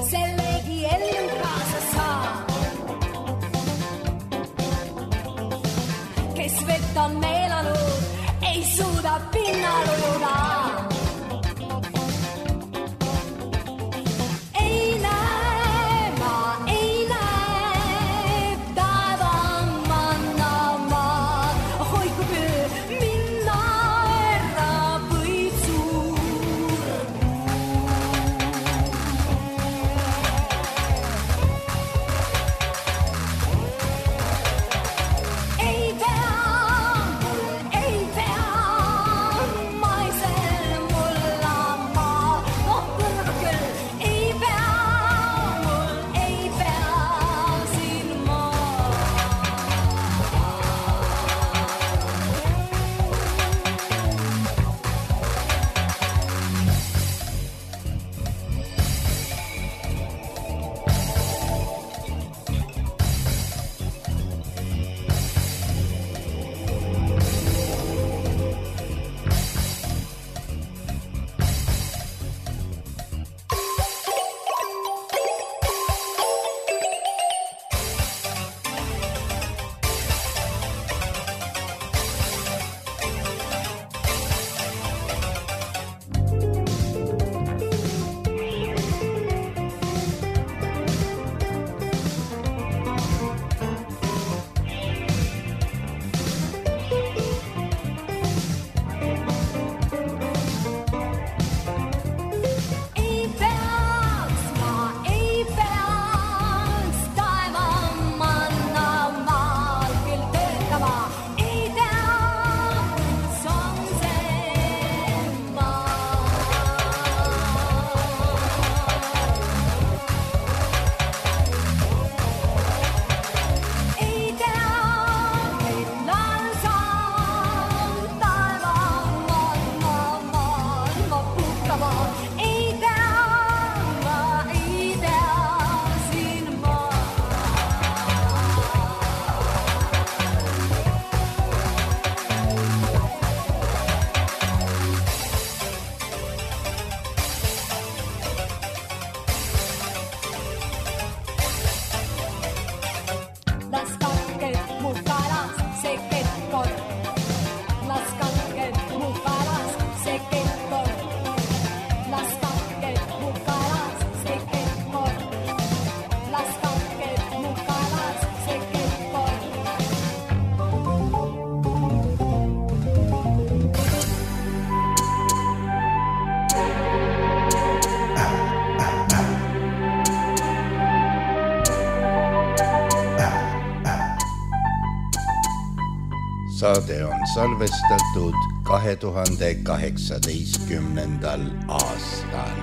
sellegi ellu kaasa saab. Kes vett on meelanud, ei suuda pinnal ujuda. Saade on salvestatud kahe tuhande kaheksateistkümnendal aastal.